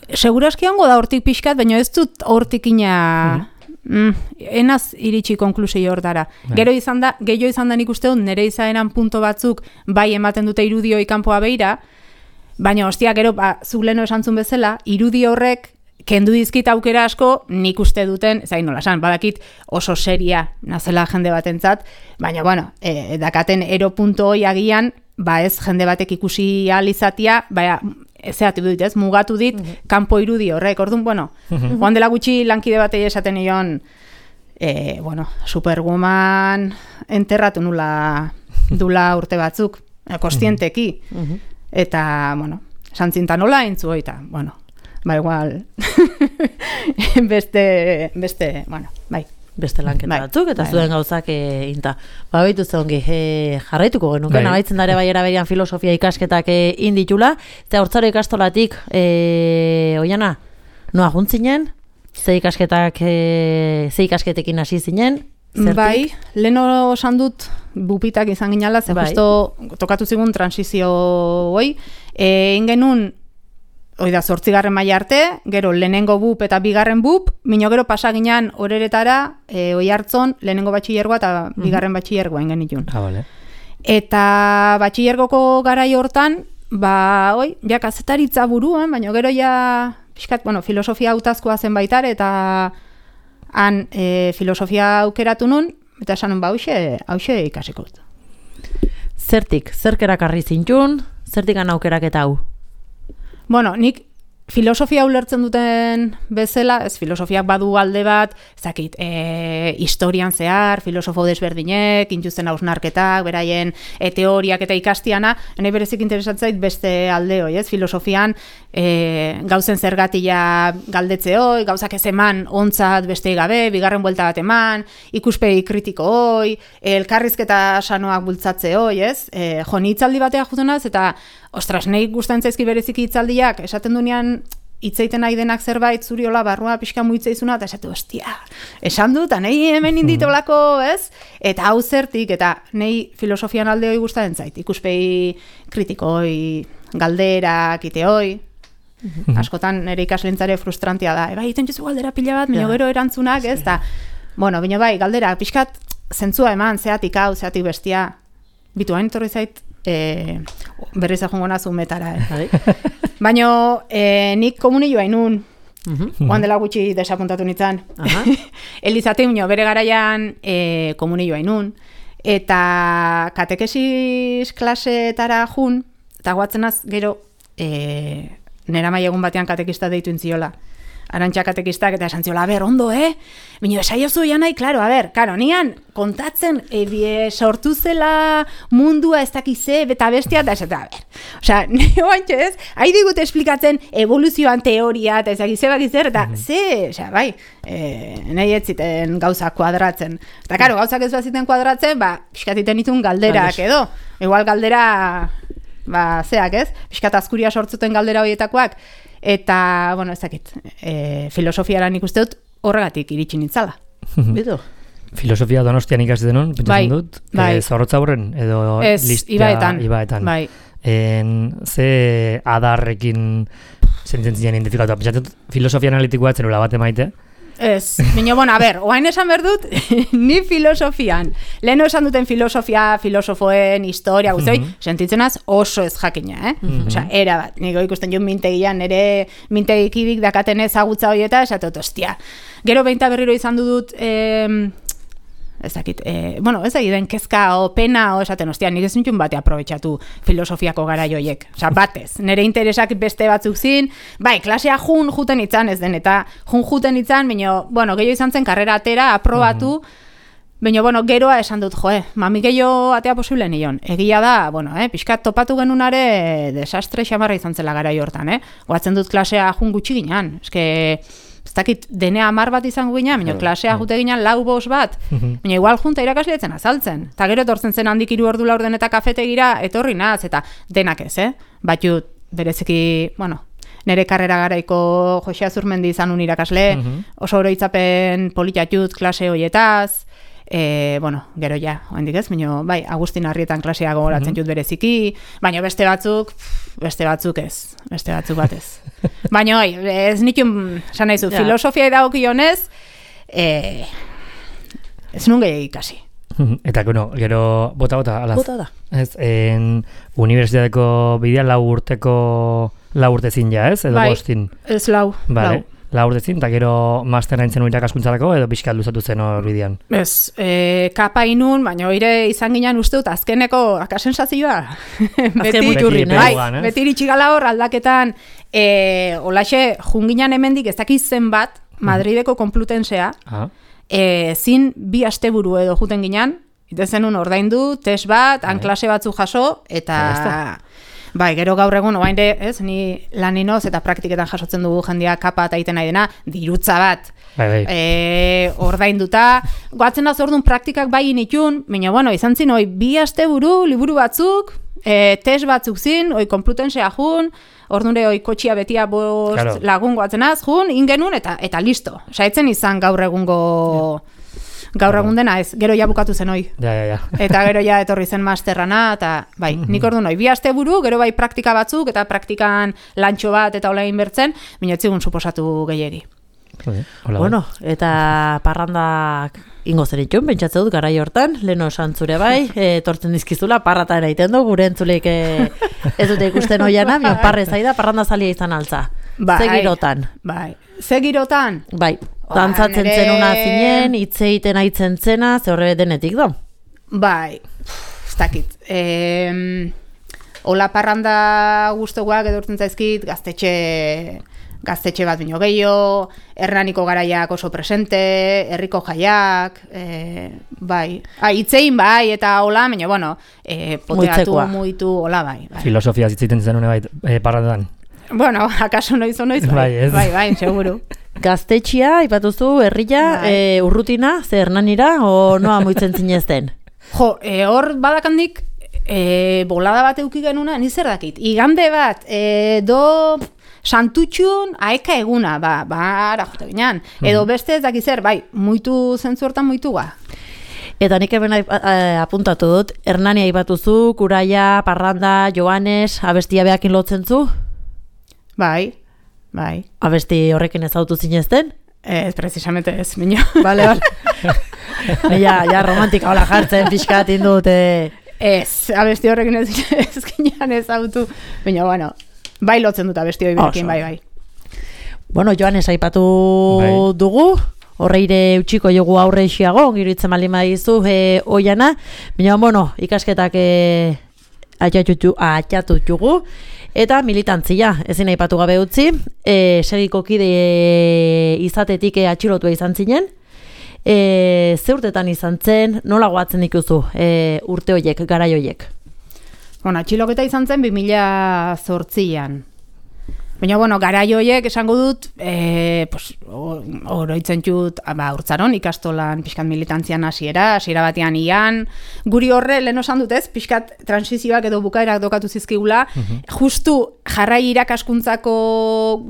Seguraski hongo da hortik pixkat, baina ez dut hortik ina... Mm, enaz iritsi konklusio hortara. Bai. Gero izan da, gehiago izan da nik uste dut, nire izaeran punto batzuk bai ematen dute irudioi kanpoa beira, baina ostia, gero, ba, zuk leno esantzun bezala, irudi horrek kendu dizkit aukera asko, nik uste duten, zain nola esan, badakit oso seria nazela jende batentzat, baina, bueno, e, dakaten ero punto hoi agian, ba ez jende batek ikusi ahal izatia, baina, zeatu dut, ez, mugatu dit, mm-hmm. kanpo irudi horrek, orduan, bueno, mm-hmm. joan dela gutxi lankide batei esaten nion, e, bueno, Superwoman enterratu nula dula urte batzuk, kostienteki, mm-hmm. eta, bueno, santzintan nola entzu hoita, bueno, ba igual, beste, beste, bueno, bai. Beste lanketa bai, batzuk, eta bai, zuen gauzak e, inta. Ba, behitu zongi, e, jarraituko genuke, bai. Nabaitzen dare bai eraberian filosofia ikasketak e, inditula, eta hortzaro ikastolatik, e, oiana, noa juntzinen, ze ikasketak, e, ze ikasketekin hasi zinen, zertik? Bai, leno osan dut bupitak izan ginala, ze bai. Justo tokatu zigun transizio hoi, e, ingenun, oida, zortzigarren maila arte, gero lehenengo bup eta bigarren bup, mino gero pasaginan horeretara, e, oi hartzon, lehenengo batxillergoa eta bigarren batxillergoa ingen itun. Ah, vale. Eta batxillergoko garai hortan, ba, oi, ja kazetaritza buruan, baina gero ja, pixkat, bueno, filosofia hautazkoa zen baitar, eta han e, filosofia aukeratu nun, eta esan nun, ba, hauxe, hauxe ikasiko. Zertik, zerkerak arri zintxun, zertik aukerak eta hau? Bueno, nik filosofia ulertzen duten bezala, ez filosofiak badu alde bat, ezakit, e, historian zehar, filosofo desberdinek, intuzten hausnarketak, beraien e, teoriak eta ikastiana, nahi berezik interesatzait beste alde hoi, ez? Filosofian e, gauzen zergatia galdetze hoi, gauzak ez eman ontzat beste gabe, bigarren buelta bat eman, ikuspegi kritiko hoi, elkarrizketa sanoak bultzatze hoi, ez? E, jo, ni hitzaldi batea jutenaz, eta ostras, nahi guztan zaizki bereziki hitzaldiak, esaten dunean hitzeiten nahi denak zerbait, zuri hola barrua pixka muitzeizuna, eta esatu, ostia, esan dut, nahi hemen inditolako, ez? Eta hau zertik, eta nahi filosofian alde hoi gustatzen zait, ikuspegi kritikoi, galderak, iteoi, askotan nire ikaslentzare frustrantia da, eba, egiten juzu galdera pila bat, minio gero erantzunak, ez? Ta, bueno, bino bai, galdera, pixkat zentzua eman, zeatik hau, zeatik bestia, bitu hain torri zait, E, berriz ajongo nazu metara, eh? Baina e, nik komunio hainun, uh-huh. Oan dela gutxi desapuntatu nintzen. Uh-huh. Elizate unio, bere garaian e, komunio hainun, eta katekesis klasetara jun, eta guatzenaz gero e, nera maiegun batean katekista deitu intziola. Arantxa katekistak eta esan ziola, a ber, ondo, eh? Bino, esaiozu janai, klaro, a ber, karo, nian kontatzen e, bie, sortu zela mundua ez dakize, eta bestia, eta esatu, a ber. Osea, nio bantxo ez, haide digut esplikatzen evoluzioan teoria, eta ez dakize bakizer, eta mm-hmm. ze, osea, bai, e, nahi ez ziten gauzak kuadratzen. Eta, karo, gauzak ez baziten kuadratzen, ba, pixkatiten itun galderak edo. Igual galdera, ba, zeak ez, pixkat azkuria sortzuten galdera horietakoak, eta, bueno, ez dakit, e, filosofiaran ikuste dut horregatik iritsi nintzala. Bidu? Filosofia Donostian ikasi denon, pentsatzen dut, bai. E, Zorrotza horren, edo ez, listia ibaetan. ibaetan. Bai. En, ze adarrekin sententzien identifikatu. Pentsatzen dut, filosofia analitikoa etzen ula bat emaite. Ez, baina, bueno, a ber, oain esan berdut, ni filosofian, leheno esan duten filosofia, filosofoen, historia, guzti, mm-hmm. sentitzenaz oso ez jakina, eh? Mm-hmm. Osea, era bat, niko ikusten jo mintegian, nire mintegikibik dakaten ezagutza horieta, esatot, ostia. Gero behinta berriro izan dut, eh, ez dakit, eh, bueno, ez dakit den kezka o pena o esaten, ostia, nik ez nintxun bate aprobetxatu filosofiako gara joiek. Osa, batez, nire interesak beste batzuk zin, bai, klasea jun juten itzan ez den, eta jun juten itzan, baina, bueno, gehiago izan zen karrera atera, aprobatu, mm-hmm. baina, bueno, geroa esan dut, joe, mami gehiago atea posible nion. Egia da, bueno, eh, pixkat topatu genunare desastre xamarra izan zela gara hortan, eh? Goatzen dut klasea jun gutxi ginean, eske... ez dakit, dene hamar bat izango gina, baina klasea jute ginen lau bost bat, baina igual junta irakasleetzen azaltzen. Eta gero etortzen zen handik hiru ordu laurden eta kafetegira etorri naz, eta denak ez, eh? Batut, bereziki, bueno, nere karrera garaiko Jose Azurmendi izan un irakasle, oso oroitzapen politatut klase hoietaz, E, bueno, gero ja, oendik ez, baina bai, Agustin Arrietan klasea gogoratzen jut bereziki, baina beste batzuk, beste batzuk ez, beste batzuk batez. Baina oi, ez nitun, esan nahizu, ja. Filosofia idagokionez, e, ez nun gehiagik ikasi. Eta, bueno, gero, bota-bota, alaz. Bota da. Ez, en unibertsitateko bidea lau urteko, lau urtezin ja, ez? Edo bai, bostin. Ez lau, vale. lau. La urtezin, eta gero masterra intzen irakaskuntzarako edo pixkat luzatu zen hor bidean? Ez, e, kapa inun, baina oire izan ginen uste dut azkeneko akasensazioa. Azken muturri, bai, beti iritsi gala hor aldaketan, e, olaxe, junginan hemendik ez dakiz zenbat, Madrideko Konplutensea, ah. e, zin bi asteburu edo juten ginen, ite zenun ordaindu, test bat, anklase batzu jaso, eta... Bai, gero gaur egun, oain de, ez, ni laninoz eta praktiketan jasotzen dugu jendia kapa eta egiten nahi dena, dirutza bat. Bai, bai. E, ordainduta, goatzen da zordun praktikak bai initun, baina, bueno, izan zin, oi, bi asteburu, liburu batzuk, e, test batzuk zin, oi, konplutensea jun, ordure, oi, kotxia betia bost claro. Lagun goatzen az, jun, ingenun, eta, eta listo. Saitzen izan gaur egungo... Ja. Gaur egun dena ez, gero ja bukatu zen hoi. Ja, ja, ja. Eta gero ja etorri zen masterrana, eta bai, nik ordu noi, bi asteburu, gero bai praktika batzuk, eta praktikan lantxo bat eta hola inbertzen, minotzigun suposatu gehiegi. Bueno, eta parrandak ingo zer itxun, pentsatze dut garai hortan, leno esan zure bai, etortzen dizkizula, parrata eraiten du, gure entzuleik ez dute ikusten hoiana, bion parre zaida, parranda zalia izan altza. Bai, Zegirotan. Bai, zegirotan? Bai, dantzatzen zen una zinen, itzeiten aitzen zena, ze horre denetik do? Bai, ez dakit. E, Ola parranda guztoguak edurtzen zaizkit, gaztetxe... gaztetxe bat bino gehiago, Hernaniko garaiak oso presente, herriko jaiak, e, bai, ah, itzein bai, eta hola, baina, bueno, e, poteatu, muitu, hola bai. bai. Filosofia zitzaiten zen une bai, e, parrandan. Bueno, akaso noiz o noiz, bai, bai, bai, bai, seguru. Gaztetxia, ipatuzu, herria, bai. e, urrutina, ze Hernanira, o noa muitzen zinezten? Jo, e, hor badakandik, e, bolada bat euki genuna, nizer dakit, igande bat, e, do... Santutxun, aeka eguna, ba, ba, ara jote ginean. Edo beste ez dakizer, bai, muitu zentzu hortan muitua. Eta nik hemen apuntatu dut, Hernania aipatuzu, Kuraia, Parranda, Joanes, abestia behakin lotzen zu? Bai, bai. Abesti horrekin ezautu zinezten? Ez, precisamente ez, minio. Bale, bale. ja, ja, romantika hola jartzen, pixkat indut. Eh. Ez, abesti horrekin ez, ez ginean ezautu. Baina, bueno... Bai lotzen dut abesti hori berekin, bai, bai. Bueno, Joanes aipatu bai. Dugu, horreire utxiko jogu aurre isiago, ongiritzen malima dizu, e, oiana, baina, bueno, ikasketak e, atxatu txugu, eta militantzia, ezin aipatu gabe utzi, e, segiko kide izatetik e, atxilotua izan zinen, e, ze urtetan izan zen, nola goatzen ikuzu e, urte hoiek, garai hoiek? Bueno, atxiloketa izan zen bi mila zortzian. Baina, bueno, garai horiek esango dut, e, pues, oroitzen txut, ba, urtzaron, ikastolan pixkat militantzian hasiera, hasiera batean ian, guri horre, lehen osan dut ez, pixkat transizioak edo bukaerak dokatu zizkigula, uh-huh. Justu jarrai irakaskuntzako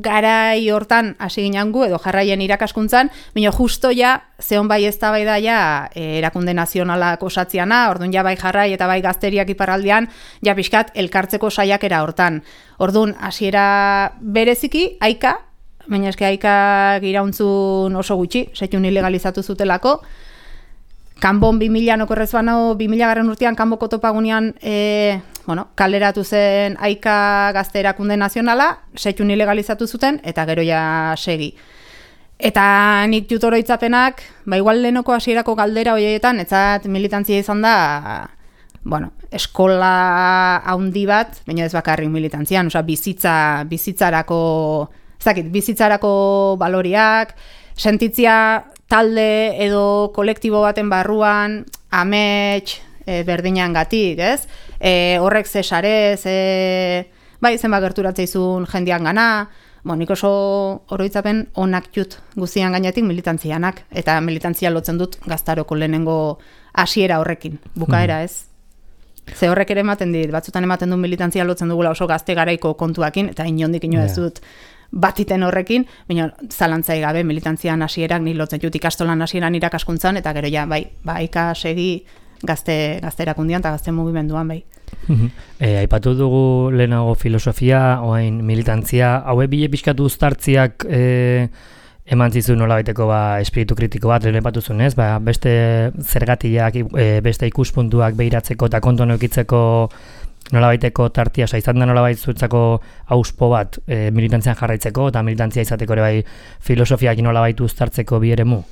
garai hortan hasi ginangu, edo jarraien irakaskuntzan, baina justo ja, zehon bai ez da bai da ja, e, erakunde nazionalak osatziana, orduan ja bai jarrai eta bai gazteriak iparraldean, ja pixkat elkartzeko saiakera hortan. Orduan, hasiera bereziki, aika, baina eske aikak irauntzun oso gutxi, setxun ilegalizatu zutelako. Kanbon bi mila nokorrez bano, bi mila garren urtean kanboko topagunean e, bueno, kaleratu zen aika gazte erakunde nazionala, setxun ilegalizatu zuten, eta gero ja segi. Eta nik jutoroitzapenak, ba igual lehenoko hasierako galdera horietan, etzat militantzia izan da... Bueno, eskola haundi bat, baina ez bakarrik militantzian, osea, bizitza, bizitzarako, ez dakit, bizitzarako baloriak, sentitzia talde edo kolektibo baten barruan, amets, e, berdinean gatik, ez? E, horrek ze sare, ze, bai, zenba gerturatzeizun jendean gana, Bo, nik oso oroitzapen onak jut guztian gainetik militantzianak, eta militantzia lotzen dut gaztaroko lehenengo hasiera horrekin, bukaera ez. Ze horrek ere ematen dit, batzutan ematen du militantzia lotzen dugula oso gazte garaiko kontuakin, eta inondik ino ez dut batiten horrekin, baina zalantzai gabe militantzian hasierak ni lotzen dut ikastolan hasieran irakaskuntzan, eta gero ja, bai, ba, ikasegi gazte, gazte erakundian eta gazte mugimenduan, bai. E, aipatu dugu lehenago filosofia, oain militantzia, haue bile pixkatu uztartziak e, eman zizu nola baiteko ba, espiritu kritiko bat, lehen epatu zuen, ez? Ba, beste zergatiak, e, beste ikuspuntuak behiratzeko eta konton eukitzeko nola baiteko tartia, oza, izan da nola baitzutzako auspo bat e, militantzian jarraitzeko, eta militantzia izateko ere bai filosofiak nola baitu uztartzeko bi eremu?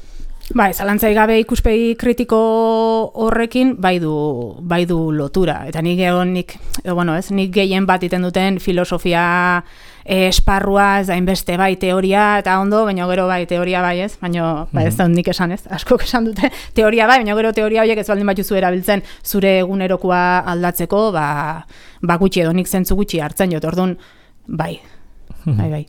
Bai, zalantzai gabe ikuspegi kritiko horrekin bai du, bai du lotura. Eta nik egon, nik, edo, bueno, ez, nik gehien bat iten duten filosofia eh, esparrua, ez da inbeste bai teoria, eta ondo, baina gero bai teoria bai ez, baina bai, ez da nik esan ez, askok esan dute teoria bai, baina gero teoria horiek ez baldin batuzu erabiltzen zure egunerokoa aldatzeko, ba, ba gutxi edo nik zentzu gutxi hartzen jot, orduan, bai. Bai, bai.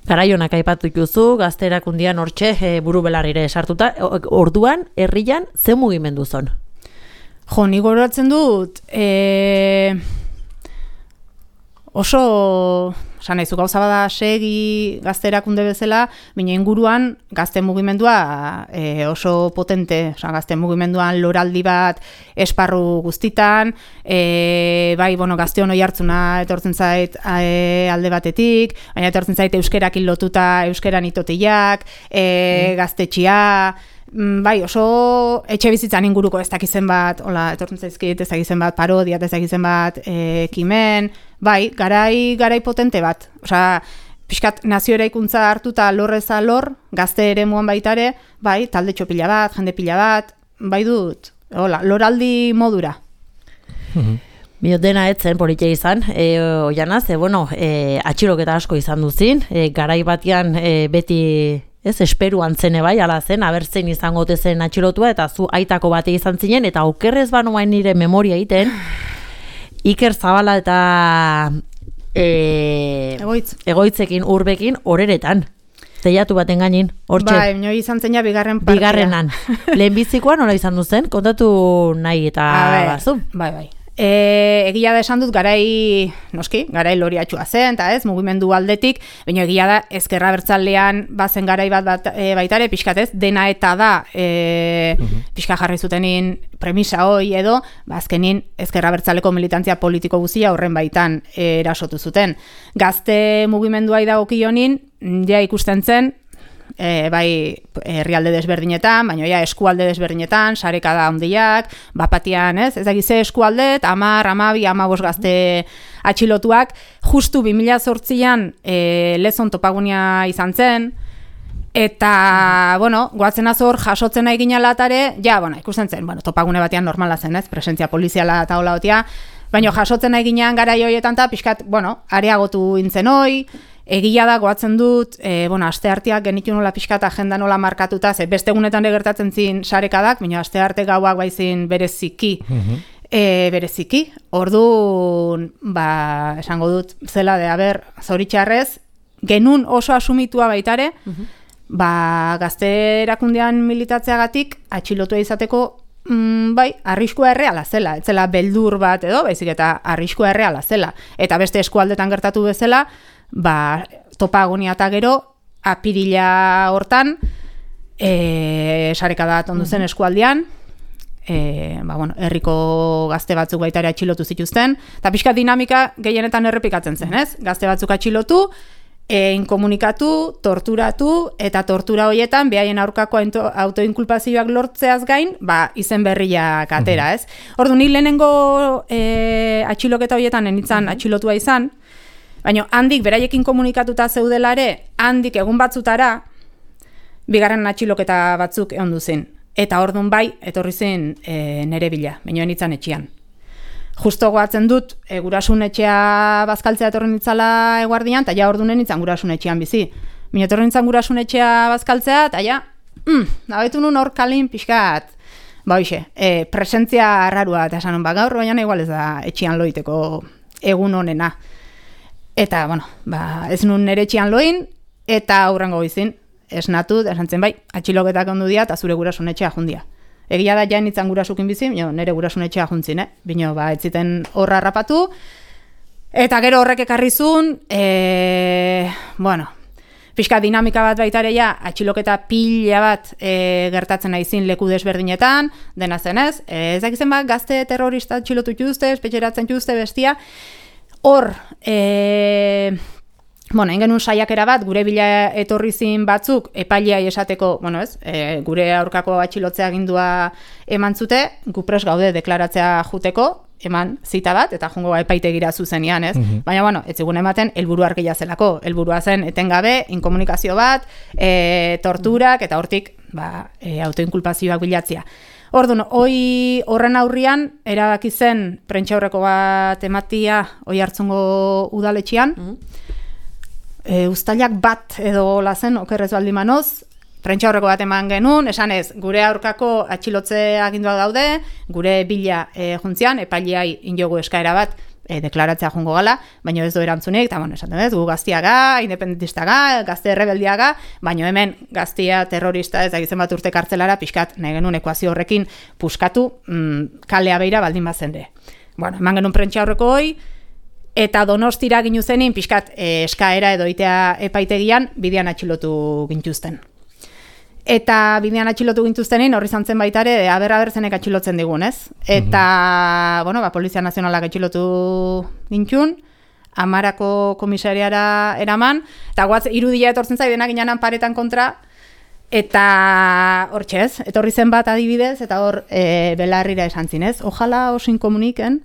Garaionak aipatu duzu, gazte erakundian hortxe e, buru belarrire sartuta, orduan, herrian, ze mugimendu zon? Jo, nik goratzen dut, e, oso, esan nahizu, gauza bada segi gazte erakunde bezala, baina inguruan gazte mugimendua e, oso potente, oza, gazte mugimenduan loraldi bat esparru guztitan, e, bai, bueno, gazte hono jartzuna etortzen zait e, alde batetik, baina etortzen zait euskerakin lotuta euskeran itotiak, e, gaztetxia, bai, oso etxe bizitzan inguruko ez dakizen bat, hola, etortzen zaizkit ez dakizen bat parodia, ez dakizen bat ekimen, bai, garai, garai potente bat. Osea, pixkat nazio eraikuntza hartuta lorrez alor, gazte ere muan baitare, bai, talde txopila bat, jende pila bat, bai dut, hola, loraldi modura. Bio dena etzen politia izan, e, oianaz, e, bueno, e, atxiloketa asko izan duzin, e, garai batean e, beti... Ez, esperuan zene bai, ala zen, abertzen izango tezen atxilotua, eta zu aitako bate izan zinen, eta okerrez banoain nire memoria egiten, Iker Zabala eta e, Egoitz. egoitzekin, urbekin, horeretan. Zeiatu baten gainin, hortxe. Bai, nio izan zena bigarren partia. Bigarrenan. Lehenbizikoan nola izan duzen, kontatu nahi eta bazu. Bai, bai. E, egia da esan dut garai, noski, garai loriatxua zen, eta ez, mugimendu aldetik, baina egia da ezkerra bertzalean bazen garai bat, bat e, baitare, pixkat ez, dena eta da, e, uh-huh. pixka jarri zutenin premisa hoi edo, bazkenin ezkerra bertzaleko militantzia politiko guzia horren baitan e, erasotu zuten. Gazte mugimendua idagokionin, ja ikusten zen, E, bai herrialde desberdinetan, baina ja eskualde desberdinetan, sarekada handiak, bapatian, ez? Ez dakize eskualde, hamar, hamabi, hamabost gazte atxilotuak, justu bi mila zortzian e, lezon topagunia izan zen, eta, bueno, goatzen azor jasotzen nahi ginen latare, ja, bueno, ikusten zen, bueno, topagune batean normala zen, ez? Presentzia poliziala eta hola otia, baina jasotzen nahi ginen garai hoietan, eta pixkat, bueno, areagotu intzen hoi, egia da, goatzen dut, e, bueno, aste arteak genitu nola pixkat agenda nola markatuta, ze beste egunetan gertatzen zin sarekadak, baina aste arte gauak baizin bereziki, uh-huh. e, bereziki. Orduan, ba, esango dut, zela de, haber, zoritxarrez, genun oso asumitua baitare, uh-huh. ba, gazte erakundean militatzeagatik, atxilotua izateko, mm, bai, arriskua erreala zela, etzela beldur bat edo, baizik eta arriskua erreala zela. Eta beste eskualdetan gertatu bezala, ba, topagonia eta gero, apirila hortan, e, sarekada tondu zen eskualdean, e, ba, bueno, herriko gazte batzuk baita ere atxilotu zituzten, eta pixka dinamika gehienetan errepikatzen zen, ez? Gazte batzuk atxilotu, e, inkomunikatu, torturatu, eta tortura horietan, behaien aurkako autoinkulpazioak lortzeaz gain, ba, izen berriak atera, ez? Ordu, ni lehenengo e, atxiloketa horietan enitzan atxilotua izan, baina handik beraiekin komunikatuta zeudelare, handik egun batzutara, bigarren atxiloketa batzuk egon duzin. Eta orduan bai, etorri zen e, nere bila, baina enitzan etxean. Justo goatzen dut, e, gurasun etxea bazkaltzea etorri nitzala eguardian, eta ja orduan enitzan gurasun etxean bizi. Baina etorri nitzan gurasun etxea bazkaltzea, eta ja, mm, nabetu nun hor kalin pixkat, ba hoxe, e, presentzia arrarua, eta esan ba gaur, baina igual ez da etxean loiteko egun honena. Eta, bueno, ba, ez nun nere txian loin, eta aurrengo izin, esnatu, esantzen bai, atxiloketak ondu dia, eta zure gurasun etxea jundia. Egia da jain itzan gurasukin bizi, bino, nere gurasun etxea juntzin, eh? Bino, ba, ez ziten horra rapatu, eta gero horrek ekarrizun, e, bueno, pixka dinamika bat baitareia, atxiloketa pila bat e, gertatzen naizin leku desberdinetan, dena zenez, ez dakizen bat, gazte terrorista atxilotu txuzte, espetxeratzen txuzte bestia, hor, e, bueno, engenun saiakera bat, gure bila etorri zin batzuk, epaileai esateko, bueno ez, e, gure aurkako atxilotzea agindua eman zute, gu pres gaude deklaratzea juteko, eman zita bat, eta jungo epaitegira zuzenian, ez? Mm-hmm. Baina, bueno, ez zigun ematen, helburu argia zelako. Helburua zen etengabe, inkomunikazio bat, e, torturak, eta hortik, ba, e, autoinkulpazioak bilatzia. Orduan, hoi horren aurrian, erabaki zen, prentxaurreko bat ematia, hoi hartzungo udaletxian, mm-hmm. e, uztailak bat edo lazen, okerrez baldin manoz, prentxaurreko bat eman genuen, esan ez, gure aurkako atxilotze aginduak daude, gure bila e, juntzian, epaileai injogu eskaera bat e, deklaratzea jungo gala, baina ez do erantzunik, eta bueno, esaten ez, gu gaztiaga, independentistaga, gazte rebeldiaga, baina hemen gaztia terrorista ez dakitzen bat urte kartzelara, pixkat, nahi genuen ekuazio horrekin puskatu, mm, kalea beira baldin bazende. Bueno, eman genuen prentxaurreko hoi, eta Donostira ginu zenin, pixkat e, eskaera edo itea epaitegian, bidean atxilotu gintuzten. Eta bidean atxilotu gintuztenin, horri zantzen baitare, aber-aber zenek atxilotzen digun, ez? Eta, mm-hmm. bueno, ba, Polizia Nazionalak atxilotu gintxun, Amarako komisariara eraman, eta guatz, irudia etortzen zai, denak inanan paretan kontra, eta hor txez, etorri zen bat adibidez, eta hor e, belarrira esan zinez, ojala osin komuniken,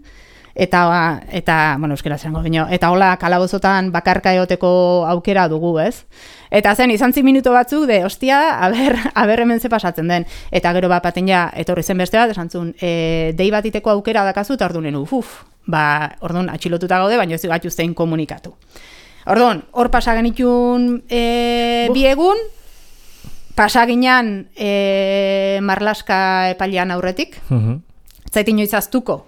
eta, eta bueno, euskera zerango bino, eta hola kalabozotan bakarka eoteko aukera dugu, ez? Eta zen, izan zi minuto batzuk, de, ostia, aber, aber hemen ze pasatzen den. Eta gero bat baten ja, etorri zen beste bat, esan zuen, e, dei bat iteko aukera dakazu, eta orduan, uf, ba, orduan, atxilotuta gaude, baina ez gatuztein komunikatu. Orduan, hor pasagenitun e, bi egun, pasaginan e, Marlaska epailean aurretik, uh-huh. Zait inoiz aztuko,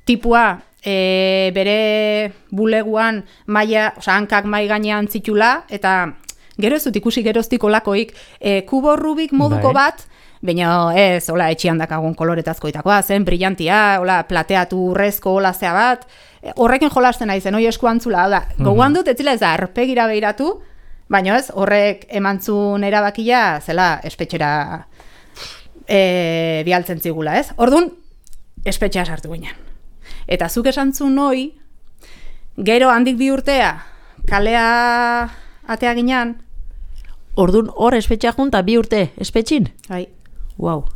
tipua e, bere buleguan maia, oza, hankak mai gainean zitula, eta gero ez dut ikusi geroztik olakoik, e, kubo Rubik moduko bai. Bat, baina ez, hola, etxian dakagun koloretazkoitakoa, zen, brillantia, hola, plateatu urrezko hola zea bat, e, horrekin jolasten naizen, hoi eskuantzula, da, mm-hmm. Gogoan dut, ez zila ez da, arpegira behiratu, baina ez, horrek emantzun erabakia, zela, espetxera e, bialtzen zigula, ez? Orduan, espetxea sartu ginen. Eta zuk esantzun hoi, gero handik bi urtea, kalea atea ginean, Ordun hor espetxea junta bi urte espetxin? Bai. Wow.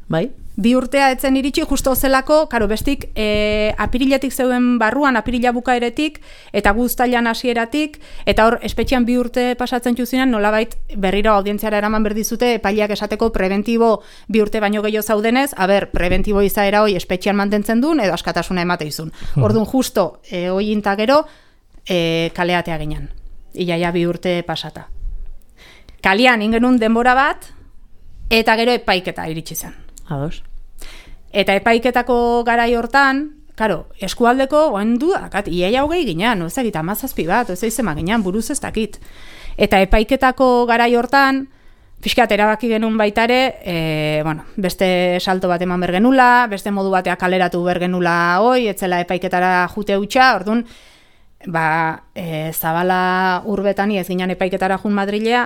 Bai? Bi urtea etzen iritsi justo zelako, karo, bestik e, apiriletik zeuden barruan, apirila bukaeretik, eta guztailan hasieratik, eta hor espetxean bi urte pasatzen txuzinan, nolabait berriro audientziara eraman berdizute, epaileak esateko preventibo bi urte baino gehiago zaudenez, aber, preventibo izaera hoi espetxean mantentzen duen, edo askatasuna emate izun. Orduan justo, e, hoi inta gero, e, kaleatea ginen. Iaia bi urte pasata. Kalian ingenun denbora bat, eta gero epaiketa iritsi zen. Ados. Eta epaiketako garai hortan, karo, eskualdeko oendu, akat, iaia hogei ginean, ez dakit, amazazpi bat, ez izema ginean, buruz ez dakit. Eta epaiketako garai hortan, pixkat erabaki genuen baitare, e, bueno, beste salto bat eman bergenula, beste modu batea kaleratu bergenula hoi, etzela epaiketara jute hutsa, orduan, ba, e, Zabala urbetani ez ginen epaiketara jun Madrilea,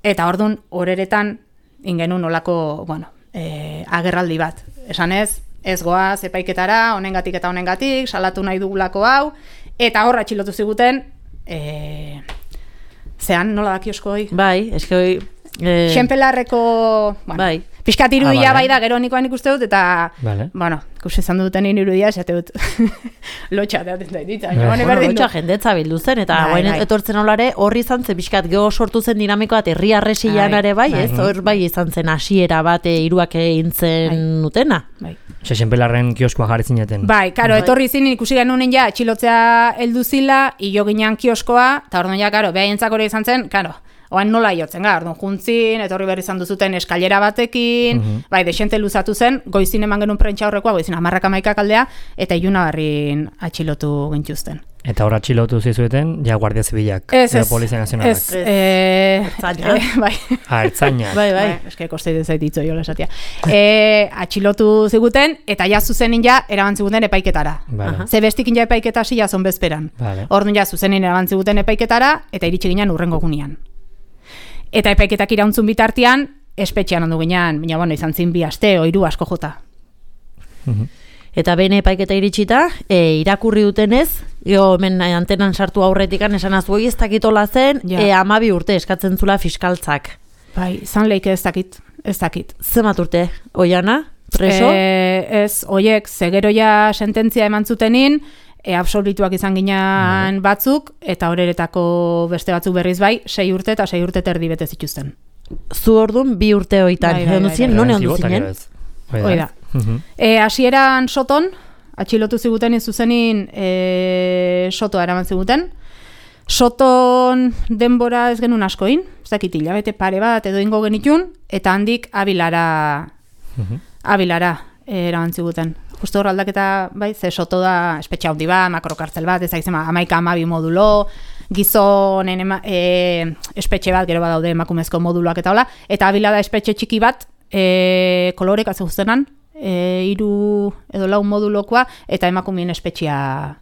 eta orduan horeretan ingenun olako, bueno, e, agerraldi bat. Esan ez, ez goaz epaiketara, honengatik eta honengatik, salatu nahi dugulako hau, eta horra atxilotu ziguten, e, zean nola da kioskoi? Bai, eske hoi... Eh... Xenpelarreko, bueno, bai. Piskat irudia ah, vale. Bai da, gero nikoan ikuste dut, eta, vale. Bueno, ikusi izan duten irudia, esate dut, lotxa teaten da ditza. Bueno, lotxa jendetza bildu zen, eta bai, bai. Etortzen olare, horri izan zen, piskat, geho sortu zen dinamikoa, eta herri arresian ere bai, ez? Hor bai izan zen hasiera bat iruak egin zen utena. Bai. Xenpelarren kioskoa jarri zineten. Bai, karo, bai. Etorri zinen ikusi genuen ja, atxilotzea heldu zila, hilo ginean kioskoa, eta orduan ja, karo, behaientzak hori izan zen, karo, Oain nola iotzen gara, orduan juntzin, etorri berri izan duzuten eskailera batekin, mm-hmm. bai, desente luzatu zen, goizin eman genuen prentsa horrekoa, goizin amarrak amaikak aldea, eta iluna barrin atxilotu gintuzten. Eta hor atxilotu zizueten, ja Guardia Zibilak, ez, ez, Polizia Nazionalak. Ez, ez, ertzaina. Eh, bai. Ah, ertzaina. Bai, bai. bai eske kostei dezaititzo jola esatia. Eh, atxilotu ziguten, eta ja zuzenin ja, eraban ziguten epaiketara. Vale. Ze bestikin ja epaiketa hasi ja zonbezperan. Vale. Orduan ja zuzenin eraban ziguten epaiketara, eta iritsi ginen urrengo gunean. Eta epaiketak irauntzun bitartean, espetxean ondu ginen, baina bueno, izan zin bi aste, oiru asko jota. Mhm. Eta behin epaiketa iritsita, e, irakurri dutenez, jo, hemen antenan sartu aurretikan esan azuei ez dakitola zen, ja. e, amabi urte eskatzen zula fiskaltzak. Bai, izan leike ez dakit, ez dakit. Zemat urte, Oiana, preso? E, ez, oiek, zegeroia sententzia eman zutenin, e, absolutuak izan ginen batzuk, eta horeretako beste batzuk berriz bai, sei urte eta sei urte terdi bete zituzten. Zu orduan bi urte hoitan, bai, bai, egon bai, zinen, bai, non bai. egon zinen? Hoi da. E, hasieran soton, atxilotu ziguten zuzenin e, sotoa eraman ziguten. Soton denbora ez genuen askoin, ez dakit hilabete pare bat edo ingo genitun, eta handik abilara, abilara e, eraman ziguten. Justo hor aldaketa, bai, ze soto da espetxe handi bat, makrokartzel bat, ez dakizema, amaika amabi modulo, gizonen ema, e, espetxe bat, gero badaude emakumezko moduluak eta hola, eta abilara espetxe txiki bat, e, kolorek atze guztenan, E, iru edo lau modulokoa eta emakumeen espetxea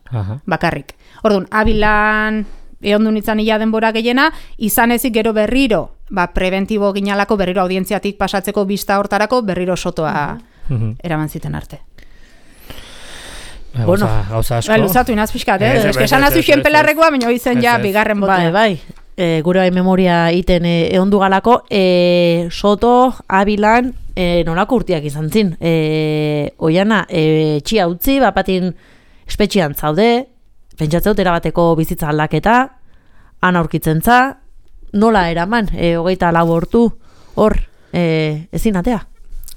Aha. bakarrik. Orduan, abilan egon du nintzen ia denbora gehiena, izan ezik gero berriro, ba, preventibo ginalako berriro audientziatik pasatzeko bista hortarako berriro sotoa Mhm. eraman ziten arte. Ba, Bueno. gauza, gauza asko. Ba, luzatu inaz pixkat, eh? Ez, ez, Eske ez, esan ez, azu ez, xen ez, pelarrekoa, baina izen ja ez, ez. bigarren Bai, botea. bai. E, gure bai memoria iten e, eondu galako, e, Soto, Abilan, e, nolako urtiak izan zin. E, Oiana, e, txia utzi, bapatin espetxean zaude, pentsatzeut erabateko bizitza aldaketa, han aurkitzen za, nola eraman, e, hogeita lau hortu, hor, e, ezin atea.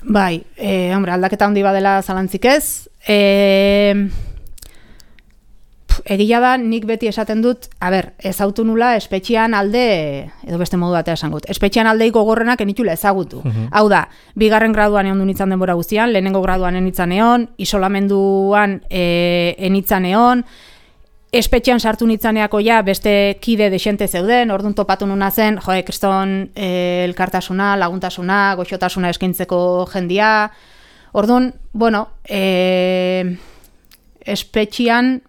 Bai, e, hombre, aldaketa handi badela zalantzik ez. E, Egia da, nik beti esaten dut, a ber, ezautu nula espetxean alde, edo beste modu batea esan gut, espetxean aldeik gogorrenak enitula ezagutu. Mhm. Hau da, bigarren graduan egon du nintzen denbora guztian, lehenengo graduan enitzan egon, isolamenduan e, enitzan egon, espetxean sartu nitzaneako ja beste kide desente zeuden, orduan topatu nuna zen, joe, kriston e, elkartasuna, laguntasuna, goxotasuna eskaintzeko jendia. Orduan, bueno, e, espetxean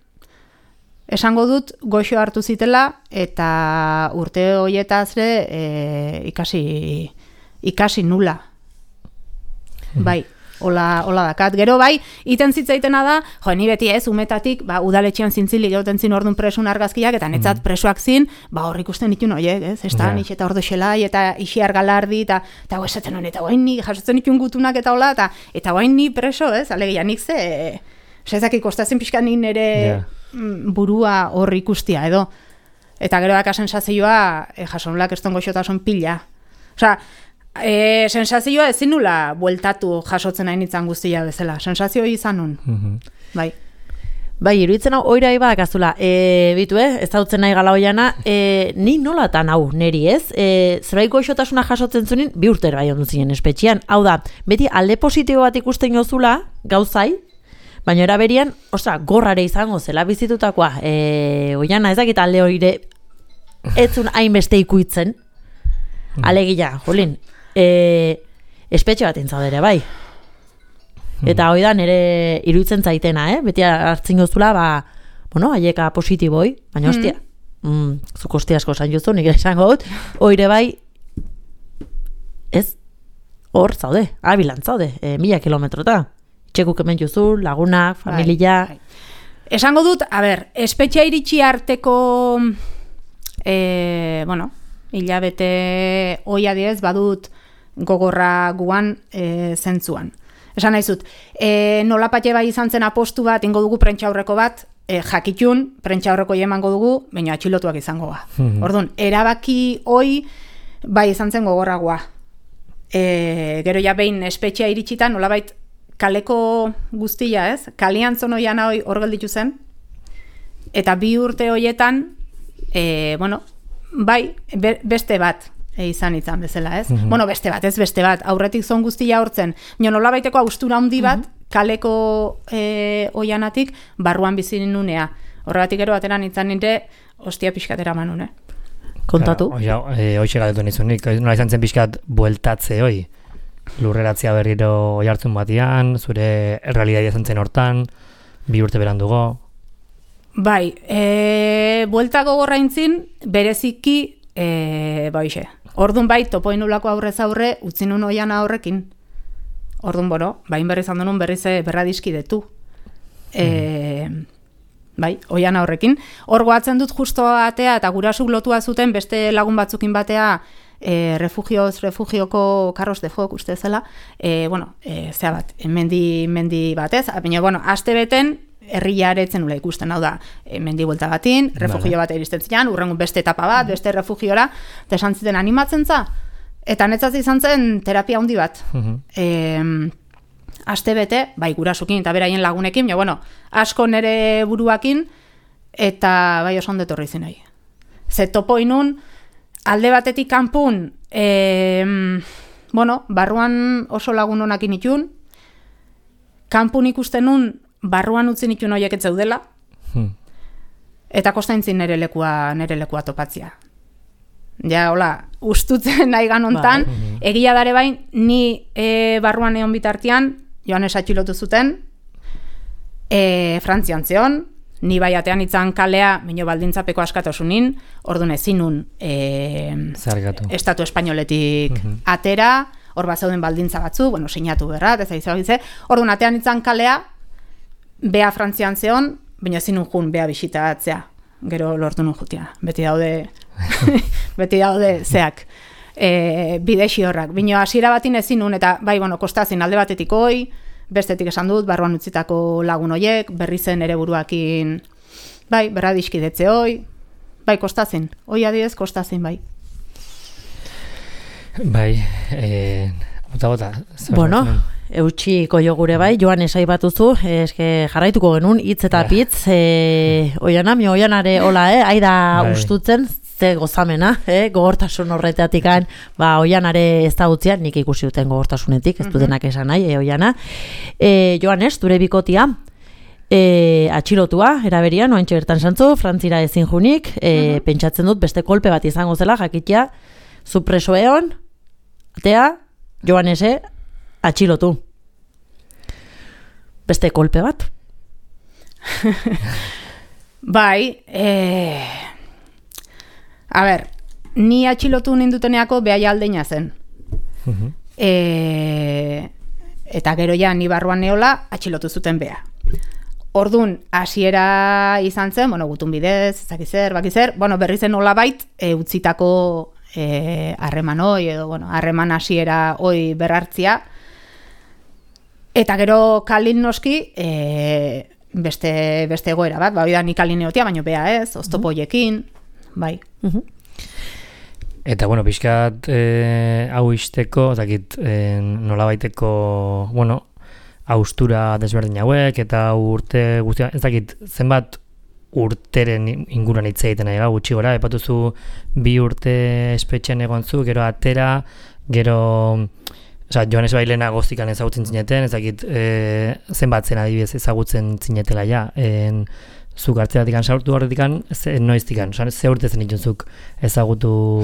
esango dut goxo hartu zitela eta urte horietaz ere e, ikasi, ikasi nula. Bai, hola, hola dakat. Gero bai, iten zitzaitena da, jo, ni beti ez, umetatik, ba, udaletxean zintzilik egoten zin orduan presun argazkiak, eta netzat presoak zin, ba, hor ikusten ditun oiek, ez? Ezta, Ja. nix eta ordo xelai, eta ixiar galardi, eta eta esaten hon, eta guain ni jasotzen ditun gutunak eta hola, eta eta guain ni preso, ez? Alegia, nik ze, zezaki kostatzen pixka nik nire Ja. burua hor ikustia, edo. Eta gero daka sensazioa, e, jasonulak eston goxotasun pila. Osea, e, sensazioa ezin nula bueltatu jasotzen nahi nintzen guztia bezala. Sensazio izan nun. Mhm. Bai. Bai, iruditzen hau, oira iba dakazula, e, bitu, eh, ez dautzen nahi gala Oiana, e, ni nolatan hau neri, ez? E, zerbait goxotasuna jasotzen zunin, bi urtera bai ondu zinen espetxean. Hau da, beti alde positibo bat ikusten jozula, gauzai, baina eraberian, ostra, gorrare izango zela bizitutakoa. E, Oiana, ez dakit alde hori etzun hainbeste ikuitzen, alegia, jolin, e, espetxe bat intzaudere, bai. Eta hoi da nire iruditzen zaitena, eh? Beti hartzen gozula, ba, bueno, haieka positiboi, baina hostia, mm, zuk hostia asko esan juzu, nik esango dut, oire bai, ez, hor zaude, abilan zaude, e, mila kilometrota. Txekuk hemen juzu, lagunak, familia. Bai, bai. Esango dut, a ber, espetxea iritsi arteko, e, bueno, hilabete hoi adiez badut gogorra guan e, zentzuan. Esan nahi zut, e, nolapatxe bai izan zen apostu bat, ingo dugu prentxaurreko bat, e, jakitun, prentxaurreko emango dugu, baina atxilotuak izango ga. Mhm. Orduan, erabaki hoi bai izan zen gogorragoa. E, gero ja behin espetxea iritsita, nolabait kaleko guztia, ez? Kalian zonoian hoi hor gelditu zen, eta bi urte hoietan, e, bueno, bai, be, beste bat e, izan izan bezala, ez? Mm-hmm. Bueno, beste bat, ez beste bat, aurretik zon guztia hortzen. Nio nola baiteko austura handi bat, mm-hmm. kaleko e, oianatik, barruan bizin nunea. Horregatik gero bateran izan nire, ostia pixkatera manune. Kontatu? Oia, e, hoxe galdetu nizunik, nola izan zen pixkat bueltatze hoi? Lurreratzea berriro oi hartzun batian, zure realitatea izan zen hortan, bi urte berandugo. Bai, e, buelta gogorra intzin, bereziki, e, baixe. Ordun bai, topoin ulako aurrez aurre, utzi nun oian horrekin. Ordun, bueno, bain berri izan denun berriz berradiskidetu. E, mm. Bai, oian horrekin. Hor goatzen dut justo atea, eta gurasuk lotua zuten beste lagun batzukin batea, e, refugioz, refugioko Carros de Foc, uste zela, e, bueno, e, zea bat, mendi, mendi batez, baina, bueno, aste beten, herria eretzen nula ikusten, hau da, e, mendi buelta batin, refugio vale. Bat iristen zian, urrengun beste etapa bat, beste refugiora, eta esan ziten animatzen za, eta netzaz izan zen terapia handi bat. Uh-huh. E, aste bete, bai gurasukin eta beraien lagunekin, ja, bueno, asko nere buruakin, eta bai oso ondo etorri zen nahi. Ze topo inun, alde batetik kanpun, e, bueno, barruan oso lagun honakin itun, kanpun ikusten nun, barruan utzi nitun horiek ez zeudela, hmm. eta kostaintzin nere lekua, nere lekua topatzia. Ja, hola, ustutzen nahi ganontan, ba, egia dare bain, ni e, barruan egon bitartian, Joanes atxilotu zuten, e, Frantzian zeon, ni bai atean itzan kalea, minio baldintzapeko askatasunin, orduan ezinun e, Estatu Espainoletik uh-huh. atera, hor bat zeuden baldintza batzu, bueno, sinatu berrat, ez aizabize, orduan atean itzan kalea, bea Frantzian zeon, baina ezinun jun bea bisitatzea, gero lortu nun jutia, beti daude, beti daude zeak. E, bidexi horrak. Bino hasiera batin ezin nun, eta bai, bueno, kostazin alde batetik hoi, bestetik esan dut, barruan utzitako lagun hoiek, berri zen ere buruakin, bai, berradiskidetze hoi, bai, kostazin. Hoi adidez, kostazin, bai. Bai, e, bota, bota. Bueno, eutxiko jo gure bai, Joan esai batuzu, eske jarraituko genuen, hitz eta pitz, e, oiana, mi oianare hola, eh, aida bai. Ustutzen, ze gozamena, eh? Gogortasun horretatik ba, oianare ez da utzian, nik ikusi duten gogortasunetik, ez dutenak esan nahi, eh, oiana. E, Joanes, dure bikotia, e, atxilotua, eraberian, oantxe bertan santzu, Frantzira ezin junik, e, uh-huh. pentsatzen dut beste kolpe bat izango zela, jakitia, zupreso eon, atea, Joanese, atxilotu. Beste kolpe bat? Bai, eh... A ber, ni atxilotu ninduteneako behai aldeina zen. Uh-huh. E, eta gero ja, ni barruan neola, atxilotu zuten beha. Ordun hasiera izan zen, bueno, gutun bidez, ezakizer, bakizer, bueno, berri zen nola bait, e, utzitako e, harreman hoi, edo, bueno, harreman hasiera hoi berrartzia. Eta gero kalin noski, e, beste, beste egoera bat, ba, oida ni kalin neotia, baino beha ez, oztopoiekin, bai. Uh-huh. Eta, bueno, pixkat e, hau izteko, ezakit, e, nola baiteko, bueno, haustura desberdin hauek, eta urte guztia, ezakit, zenbat urteren inguruan hitz egiten nahi, gutxi gora, epatuzu bi urte espetxean egon zu, gero atera, gero, oza, Joanes Bailena goztikan ezagutzen zineten, ezakit, e, zenbat zen adibidez ezagutzen zinetela ja, en, zuk hartzeratik saurtu horretikan, noiztikan, ze urte zen ituzuk ezagutu,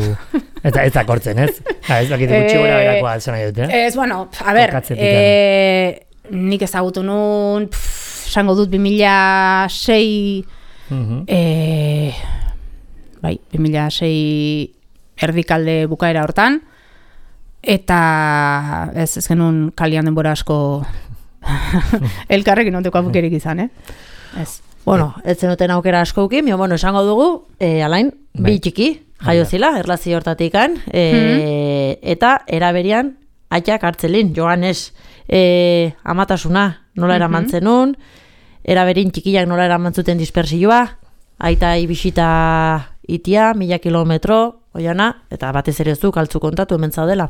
eta ez dakortzen, ez? Ha, ez dakit gutxi gora berakoa alzana dut, eh? Ez, bueno, a ber, e, nik ezagutu nun, esango dut bi mila sei, uh-huh. e, bai, bi mila sei erdikalde bukaera hortan, eta ez, ez genuen kalian denbora asko elkarrekin onteko abukerik izan, eh? Ez. Bueno, ez zenuten aukera askoukin, bueno, esango dugu, e, alain, bi txiki, jaio zila, erlazio hortatikan, e, mm-hmm. eta eraberian, aitak hartzelin, Joanes, e, amatasuna, nola eraman zenun, eraberin txikiak nola eraman zuten dispersioa, aita ibisita itia, mila kilometro, oiana, eta batez ere zu, kaltzu kontatu hemen zaudela.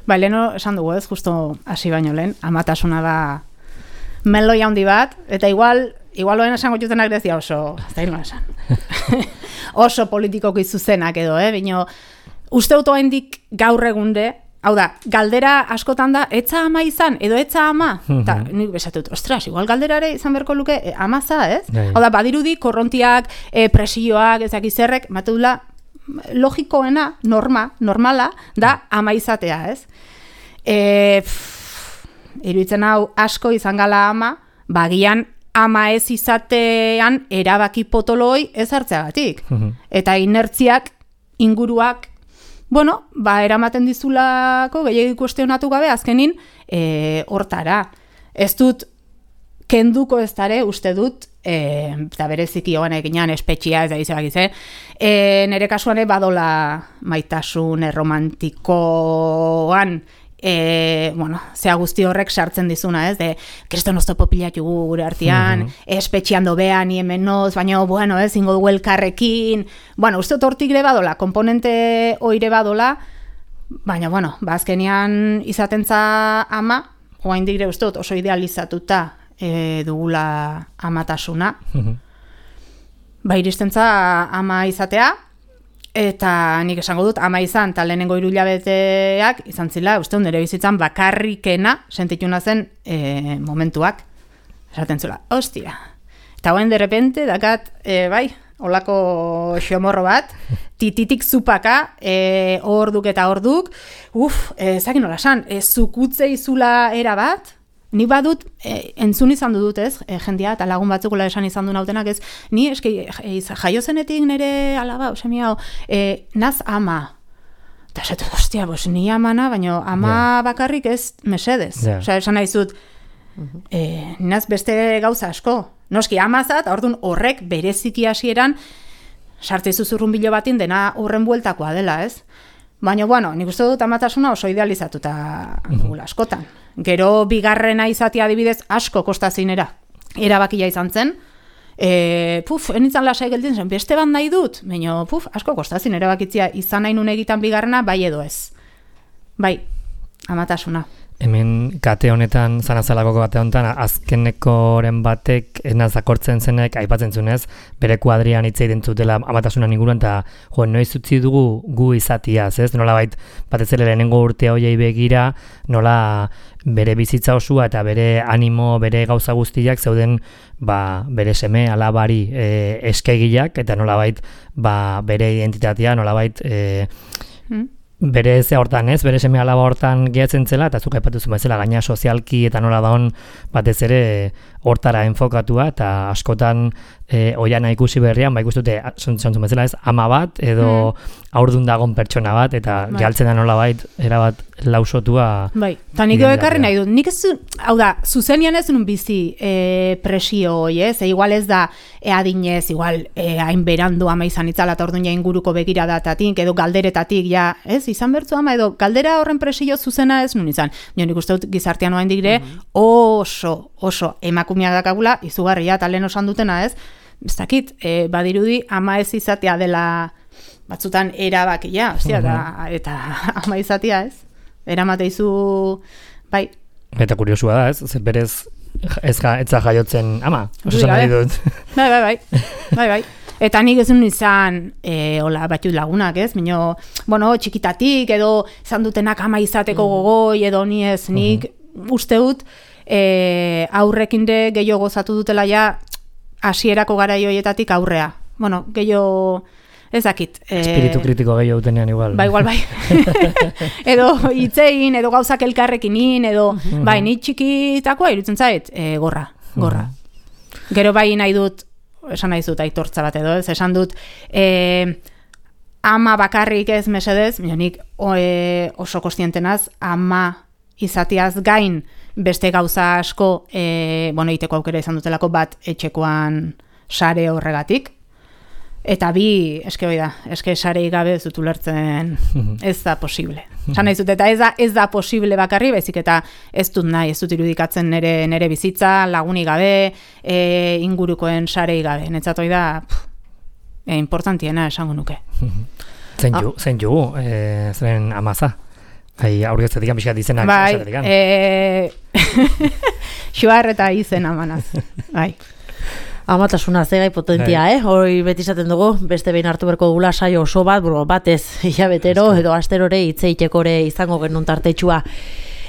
Ba, leheno, esan dugu ez, justo hasi baino lehen, amatasuna da meloi handi bat, eta igual, igual loen esango jutenak dezia oso, ez da hil esan. oso politikoki zuzenak edo, eh? Bino, uste dut oraindik gaur egunde, hau da, galdera askotan da, etza ama izan, edo etza ama? Eta nik besatut, ostras, igual galderare izan berko luke, e, amaza, ez? Gai. Hau da, badirudi, korrontiak, e, presioak, ezak izerrek, matudula, logikoena, norma, normala, da ama izatea, ez? E, pff, iruditzen hau asko izan gala ama, bagian ama ez izatean erabaki potoloi ez hartzeagatik. Eta inertziak, inguruak, bueno, ba, eramaten dizulako, gehiagik kuestionatu gabe, azkenin, e, hortara. Ez dut, kenduko ez dare, uste dut, e, eta bereziki hogan eginean espetxia ez da izabak izan, e, nire kasuan badola maitasun romantikoan, e, bueno, zea guzti horrek sartzen dizuna, ez, de, kriston oztopo pilatu gure artean, mm-hmm. espetxian dobea, ni hemenoz, baina, bueno, ez, ingo dugu elkarrekin, bueno, uste dut hortik ere badola, komponente oire badola, baina, bueno, bazkenian izatentza ama, oain digre uste dut oso idealizatuta e, dugula amatasuna, mm-hmm. ba, iristentza ama izatea, eta nik esango dut, ama izan, eta lehenengo hiruhilabeteak izan zila, uste nire bizitzan bakarrikena sentituna zen e, momentuak. Esaten zula, ostia. Eta hoen derrepente, dakat, e, bai, holako xomorro bat, tititik zupaka, e, orduk eta orduk, uf, e, zakin nola esan, e, zukutze izula era bat, ni badut, e, entzun izan dut ez, e, jendia, eta lagun batzukola esan izan du nautenak ez, ni eski e, jaio zenetik nire alaba, osemi hau, e, naz ama. Eta esatu, ostia, bos, ni amana, baina ama yeah. bakarrik ez mesedez. Yeah. Osa, esan nahi zut, e, naz beste gauza asko. Noski, amazat, orduan horrek bereziki hasieran sartze zuzurrun bilo batin dena horren bueltakoa dela, ez? Baina, bueno, nik uste dut amatasuna oso idealizatuta dugula askotan. Gero bigarrena izatea adibidez asko kostazinera erabakia izan zen. E, puf, enitzan lasai gelditzen zen, beste bat nahi dut, baina puf, asko kostazin erabakitzea izan nahi nun egitan bigarrena, bai edo ez. Bai, amatasuna. Hemen kate honetan, zanazalakoko kate honetan, azkenekoren batek enaz akortzen zenek, aipatzen zunez, bere kuadrian hitzei dentzutela amatasunan inguruan, eta jo, noiz utzi dugu gu izatiaz, ez? Nola bait, batez ere lehenengo urte hoiei begira, nola bere bizitza osua eta bere animo, bere gauza guztiak zeuden ba, bere seme alabari e, eskegiak, eta nola bait, ba, bere identitatea, nola bait, e, hmm? bere ze hortan ez, bere seme alaba hortan gehatzen zela, eta zuk aipatu zuen bezala gaina sozialki eta nola daun batez ere hortara enfokatua, eta askotan e, oiana ikusi berrian, ba ikustute zontzun bezala ez, ama bat, edo mm. aurdun dagon pertsona bat, eta bai. Gehaltzen da nola bait, erabat lausotua. Bai, eta nik ekarri nahi dut, nik ez, hau da, zuzenian ez nun bizi e, presio hoi, ez, e, igual ez da e, adinez, igual e, hain berandu ama izan itzala, eta orduan ja inguruko begiradatatik, edo galderetatik, ja, ez, izan bertzu ama, edo galdera horren presio zuzena ez nun izan. Jo, nik uste dut gizartean oain digre, mm-hmm. oso, oso emakumeak dakagula, izugarria, eta lehen osan dutena ez, ez dakit, e, badirudi ama ez izatea dela batzutan erabakia, ostia, mm-hmm. eta, eta ama izatea ez, eramateizu, bai. Eta kuriosua da ez, zer berez ez ja, etza jaiotzen ama, oso esan nahi dut. Bai, bai, bai, bai, bai. Eta nik ez nun izan, e, hola, batut lagunak, ez? Mino, bueno, txikitatik, edo izan dutenak ama izateko gogoi, edo ni ez, nik uh-huh. uste dut, e, aurrekin de gehiago gozatu dutela ja, hasierako garaioietatik aurrea. Bueno, gehiago, ez dakit. E, Espiritu kritiko gehiago dutenean igual. Ba, igual, bai. Edo hitzein, edo gauzak elkarrekinin, edo, uh-huh. bai, ni txikitakoa irutzen zait, e, gorra, gorra. Uh-huh. Gero bai nahi dut, esan nahi dut aitortza bat edo, ez esan dut e, ama bakarrik ez mesedez, nik e, oso kostientenaz, ama izatiaz gain beste gauza asko, e, bueno, iteko aukera izan dutelako bat etxekoan sare horregatik, eta bi, eske hoi da, eske sarei gabe ez dut ulertzen, ez da posible. Esan nahi dut, eta ez da, ez da posible bakarri, baizik eta ez dut nahi, ez dut irudikatzen nere, nere bizitza, lagunik gabe, e, ingurukoen sarei gabe. Netzat hoi da, pff, e, importantiena esango nuke. Zein ju, zein ju, e, zeren amaza? Hai, aurgetzetik amizkat izenak. Bai, e, xuar eta izen amanaz. Bai. Amatasuna zegai potentia, eh? Hori beti izaten dugu, beste behin hartu berko dugula saio oso bat, bro, batez hilabetero edo asterore hitzeiteko izango genuen tartetxua.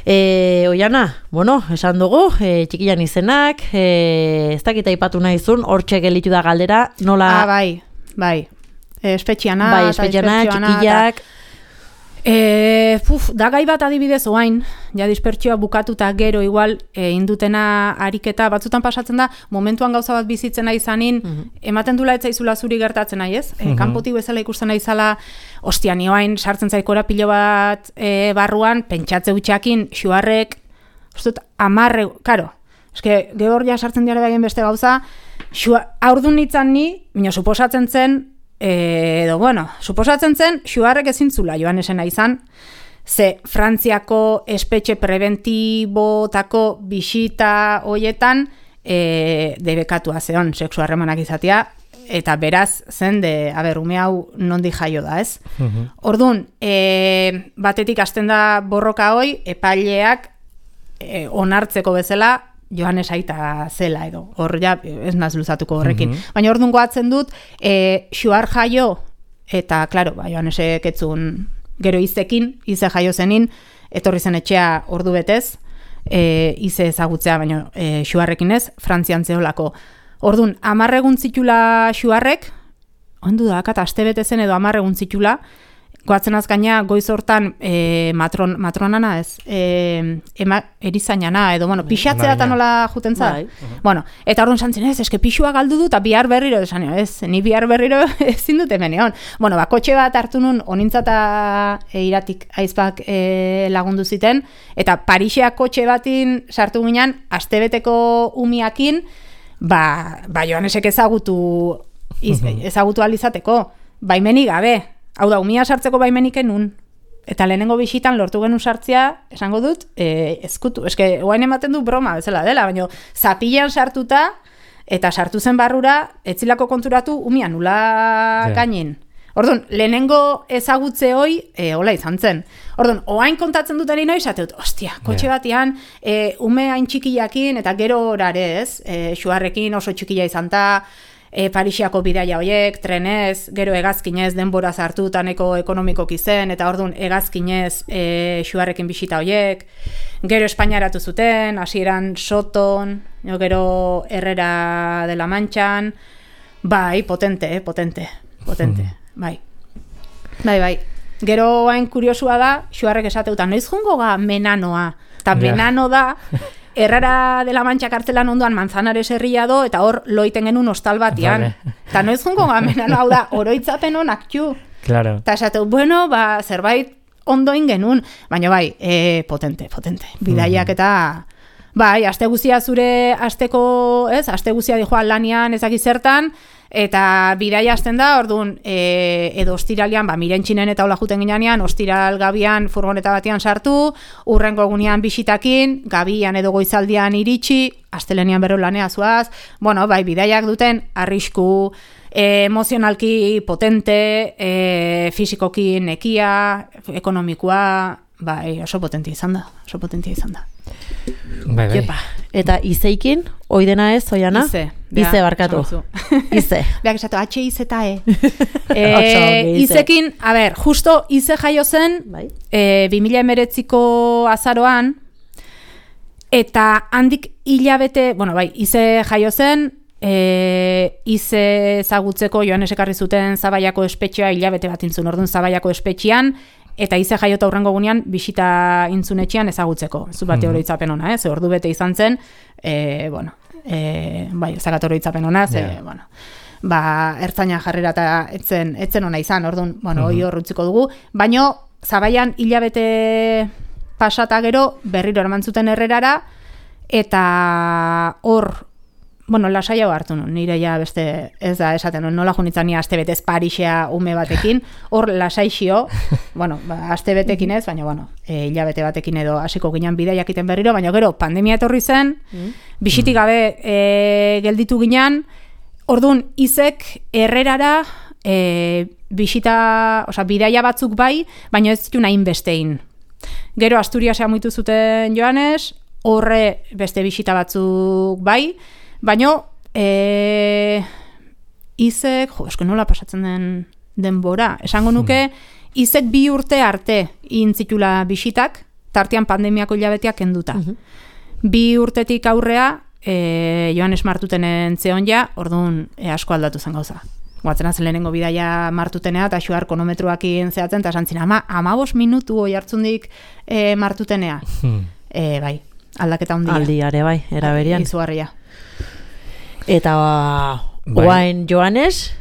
E, Oiana, bueno, esan dugu, e, txikilan izenak, e, ez dakita ipatu nahi zuen, hortxe gelitu da galdera, nola... Ah, bai, bai. Espetxiana, bai, espetxiana, txikillak... E, puf, da gai bat adibidez oain, ja dispertsioa bukatuta gero igual e, indutena ariketa batzutan pasatzen da, momentuan gauza bat bizitzen nahi izanin, mm -hmm. ematen dula etzaizula zuri gertatzen nahi, ez? Mm -hmm. e, kanpotik bezala ikusten nahi zala, ostia, ni oain sartzen zaikora pilo bat e, barruan, pentsatze utxakin, xuarrek, ustut, amarre, karo, eske, gehor ja sartzen diare baien beste gauza, aurdun nintzen ni, bino, suposatzen zen, edo, bueno, suposatzen zen, xuarrek ezintzula joan esena izan, ze Frantziako espetxe preventibotako bisita hoietan e, debekatua zeon sexu harremanak izatea, eta beraz zen de, a ber, ume hau nondik jaio da, ez? Uh-huh. Orduan, e, batetik hasten da borroka hoi, epaileak e, onartzeko bezala, Joanes aita zela edo, hor ja ez naz luzatuko horrekin. Mm-hmm. Baina orduan goatzen dut, e, xuar jaio, eta, klaro, ba, Joanesek etzun gero izekin, ize jaio zenin, etorri zen etxea ordu betez, e, ize ezagutzea, baina e, xuarrekin ez, Frantzian zeholako. Orduan, amarregun zitula xuarrek, ondu da, kata, aste betezen edo amarregun zitula, goatzen azkaina goiz hortan e, matron, matronana ez, e, ema, erizainana, edo, bueno, pixatzea eta nola juten za. Bai. Bueno, eta orduan santzen ez, eske pixua galdu du, eta bihar berriro, esan, ez, ni bihar berriro ezin dut hemen egon. Bueno, ba, kotxe bat hartu nun, onintzata e, iratik aizpak e, lagundu ziten, eta Parixeak kotxe batin sartu ginen, astebeteko umiakin, ba, ba Joanesek ezagutu, iz, ezagutu alizateko, baimenik gabe. Hau da, umia sartzeko baimenik enun. Eta lehenengo bisitan lortu genuen sartzea, esango dut, e, ezkutu. Eske, oain ematen du broma bezala dela, baina zapilean sartuta, eta sartu zen barrura, etzilako konturatu, umia nula yeah. gainen. Orduan, lehenengo ezagutze hoi, e, hola izan zen. Orduan, oain kontatzen duten ino, esate dut, ostia, kotxe yeah. batian, e, ume hain txikiakin, eta gero orare ez, e, xuarrekin oso txikila izan ta, E, Parixiako bidaia hoiek, trenez, gero hegazkinez denbora zartu taneko ekonomikoki zen, eta orduan hegazkinez e, xuarrekin bisita hoiek, gero Espainiaratu zuten, hasieran Soton, gero Herrera de la Manchan, bai, potente, eh, potente, potente, mm. bai. Bai, bai. Gero hain kuriosua da, xuarrek esateuta, noiz jungo ga menanoa, eta yeah. menano da, Herrera de la Mancha kartzelan ondoan Manzanares herria do, eta hor loiten genuen hostal batian. Eta noiz jungo gamenan, hau da, oroitzapen honak txu. Claro. Eta esateu, bueno, ba, zerbait ondoin genuen. Baina bai, e, potente, potente. Bidaiak eta, bai, aste guzia zure asteko, ez, aste guzia dijoa lanian ezaki zertan, eta bidaia hasten da, orduan, e, edo ostiralian, ba, mirentxinen eta hola juten ginean, ostiral gabian furgoneta batian sartu, urrengo egunean bisitakin, gabian edo goizaldian iritsi, astelenian berro lanea zuaz, bueno, bai, bidaiak duten, arrisku, e, emozionalki potente, e, fizikoki nekia, ekonomikoa, bai, oso potentia izan da, oso potentia izan da. Bai, bai. Jepa. Eta izeikin, oidena ez, Oiana? Ize. Ize barkatu. Ize. Beak esatu, H ize eta E. e izekin, a ber, justo ize jaio zen, bai. e, bi mila hemeretziko azaroan, eta handik hilabete, bueno, bai, ize jaio zen, e, ize ezagutzeko Joanes ekarri zuten Zabaiako espetxea hilabete bat intzun, orduan Zabaiako espetxean, eta ize jaiota hurrengo gunean bisita intzunetxean ezagutzeko. Zu bate mm. oroitzapen ona, eh? Ze ordu bete izan zen, e, bueno, e, bai, ezagat oroitzapen ona, ze, yeah. bueno, ba, ertzaina jarrera eta etzen, etzen ona izan, orduan, bueno, hoi mm-hmm. hor utziko dugu, baino, Zabaian hilabete pasata gero, berriro eraman zuten Herrerara, eta hor, bueno, lasai hau hartu nun, nire ja beste, ez da, esaten nun, nola junitzen ni aste betez Parixea ume batekin, hor lasai xio, bueno, ba, aste betekin ez, baina, bueno, e, hilabete batekin edo hasiko ginen bidaiak iten berriro, baina gero, pandemia etorri zen, mm. bisitik gabe e, gelditu ginen, orduan, izek Herrerara e, bisita, oza, bidaia batzuk bai, baina ez zitu nahin bestein. Gero, Asturiasea muitu zuten Joanes, horre beste bisita batzuk bai, baino e, izek, jo, esko nola pasatzen den denbora, esango nuke, izek bi urte arte intzitula bisitak, tartean pandemiako hilabeteak kenduta. Uh-huh. Bi urtetik aurrea, e, Joanes Martutenen zeon ja, orduan e, asko aldatu zen gauza. Guatzen zen lehenengo bidaia Martutenea, eta xuar konometroakin zehatzen, eta santzina, ama, amabos minutu oi hartzundik e, Martutenea. Hmm. E, bai, aldaketa handia. Aldiare, bai, eraberian. Izugarria. Eta bai. Oain Joanes,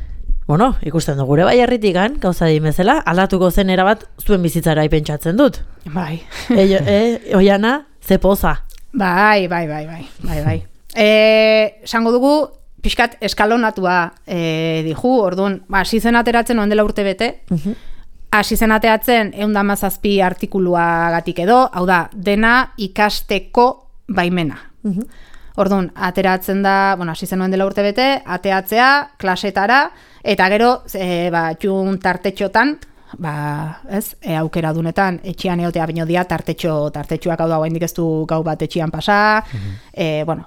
bueno, ikusten dugu gure bai herritikan, gauza dimezela, aldatuko zen erabat zuen bizitzara pentsatzen dut. Bai. e, e, oiana, ze poza. Bai, bai, bai, bai, bai, bai. E, sango dugu, pixkat eskalonatua e, dihu, orduan, hasi zen ateratzen oen dela urte bete, hasi zen ateratzen ehun eta hamazazpi artikuluagatik edo, hau da, dena ikasteko baimena. Uh-huh. Orduan, ateratzen da, bueno, hasi zen oen dela urte bete, ateatzea, klasetara, eta gero, e, ba, txun tartetxotan, ba, ez, e, aukera dunetan, etxian eotea baino dia, tartetxo, tartetxoak hau da, oraindik ez du gau bat etxian pasa, uh-huh. e, bueno,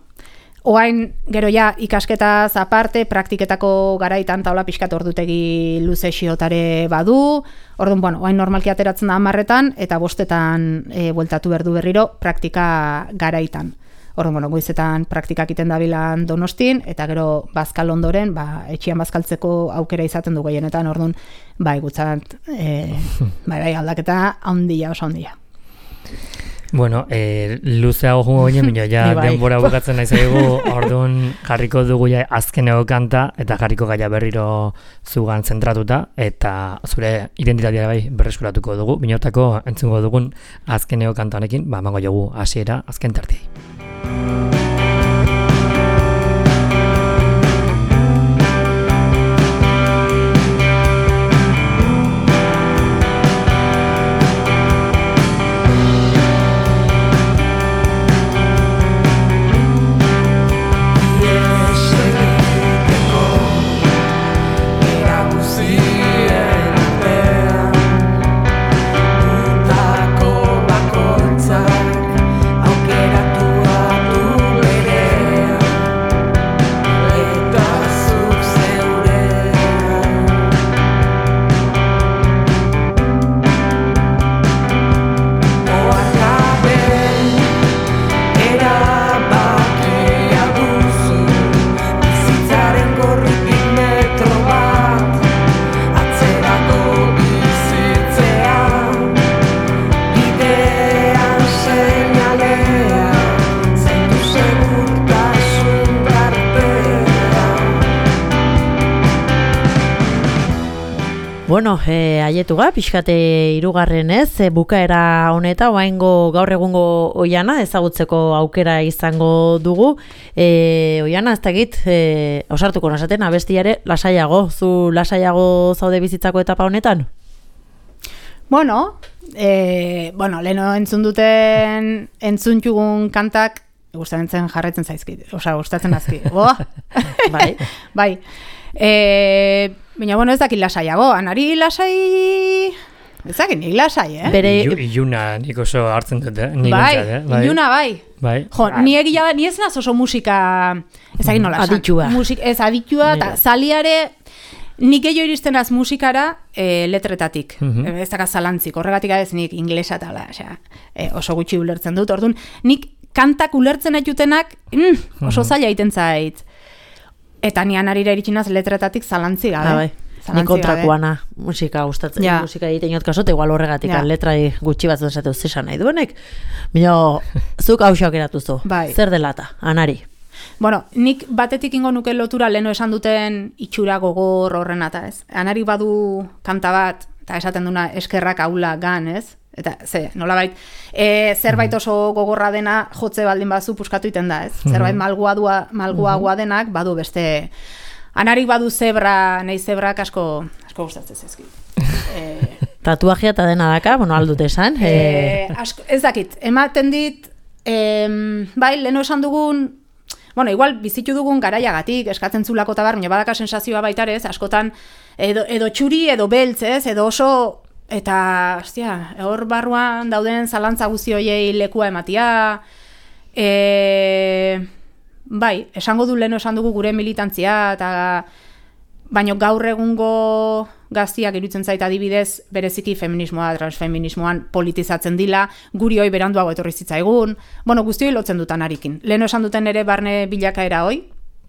oain, gero ja, ikasketaz aparte, praktiketako garaitan taula pixkat ordutegi luze xiotare badu, orduan, bueno, oain normalki ateratzen da hamarretan, eta bostetan e, bueltatu berdu berriro praktika garaitan. Orduan, bueno, goizetan praktikak iten dabilan Donostin, eta gero bazkal ondoren, ba, etxian bazkaltzeko aukera izaten du gehienetan, orduan, bai, gutzat, e, bai, bai, aldaketa handia, oso handia. Bueno, eh, luzeago jungo ginen, minio, ja denbora bukatzen nahi zaigu, orduan jarriko dugu ja azkeneko kanta, eta jarriko gaia berriro zugan zentratuta, eta zure identitatea bai berreskuratuko dugu, minotako entzungo dugun azkeneko kanta honekin, ba, mango jogu hasiera azken tartei. Bueno, eh, aietuga, pixkate irugarren ez, e, bukaera honeta, oaingo gaur egungo oiana, ezagutzeko aukera izango dugu. E, oiana, ez dakit, e, osartuko nasaten, abestiare lasaiago, zu lasaiago zaude bizitzako etapa honetan? Bueno, e, bueno, leheno entzun duten entzuntxugun kantak, gustatzen jarretzen zaizkit, osa, gustatzen azki. Oh? Bai. Bai. E, Baina, bueno, ez dakit lasaiago, anari lasai... Ez dakit nik lasai, eh? Bere... Iluna nik oso hartzen dut, eh? Nik bai, entzat, eh? Bai, iluna bai. Bai. Jo, ni egia da, ni ez naz oso musika... Ez dakit nola esan. Aditua. Musik, ez aditua, eta zaliare... Nik gehiago iristen az musikara e, letretatik. Uh-huh. Ez dakit zalantzik, horregatik ez nik inglesa tala, osea, e, oso gutxi ulertzen dut. Orduan, nik kantak ulertzen aitutenak mm, oso zaila egiten zait. Eta nian arira iritsinaz letretatik zalantzi gabe. Ah, bai. Ni kontrakuana musika gustatzen, ja. Musika egiten jot kasot, igual horregatik ja. Letrai gutxi bat esateu zesan nahi duenek. Bino, zuk hausak eratuzu. Bai. Zer delata, anari? Bueno, nik batetik ingo nuke lotura leno esan duten itxura gogor horren eta ez. Anari badu kanta bat, eta esaten duna eskerrak aula gan, ez? Eta, ze, nolabait, e, zerbait oso gogorra dena jotze baldin bazu puskatu iten da, ez? Zerbait malguadua, malguagoa denak, badu beste... Anarik badu zebra, nahi zebrak asko, asko gustatzen zezki. E, Tatuajea eta dena daka, bueno, aldut esan. E, asko, ez dakit, ematen dit, e, bai, leheno esan dugun, bueno, igual bizitu dugun garaiagatik, eskatzen zulako tabar, baina badaka sensazioa baitarez, askotan, edo, edo txuri, edo beltz, ez, edo oso... Eta, ostia, hor barruan dauden zalantza guzti hoiei lekua ematia, e, bai, esango du leno esan dugu gure militantzia, eta baino gaur egungo gaztiak iruditzen zait adibidez, bereziki feminismoa, transfeminismoan politizatzen dila, guri hoi beranduago etorri zitzaigun, bueno, guztioi lotzen dutan arikin. Leno esan duten ere barne bilakaera hoi,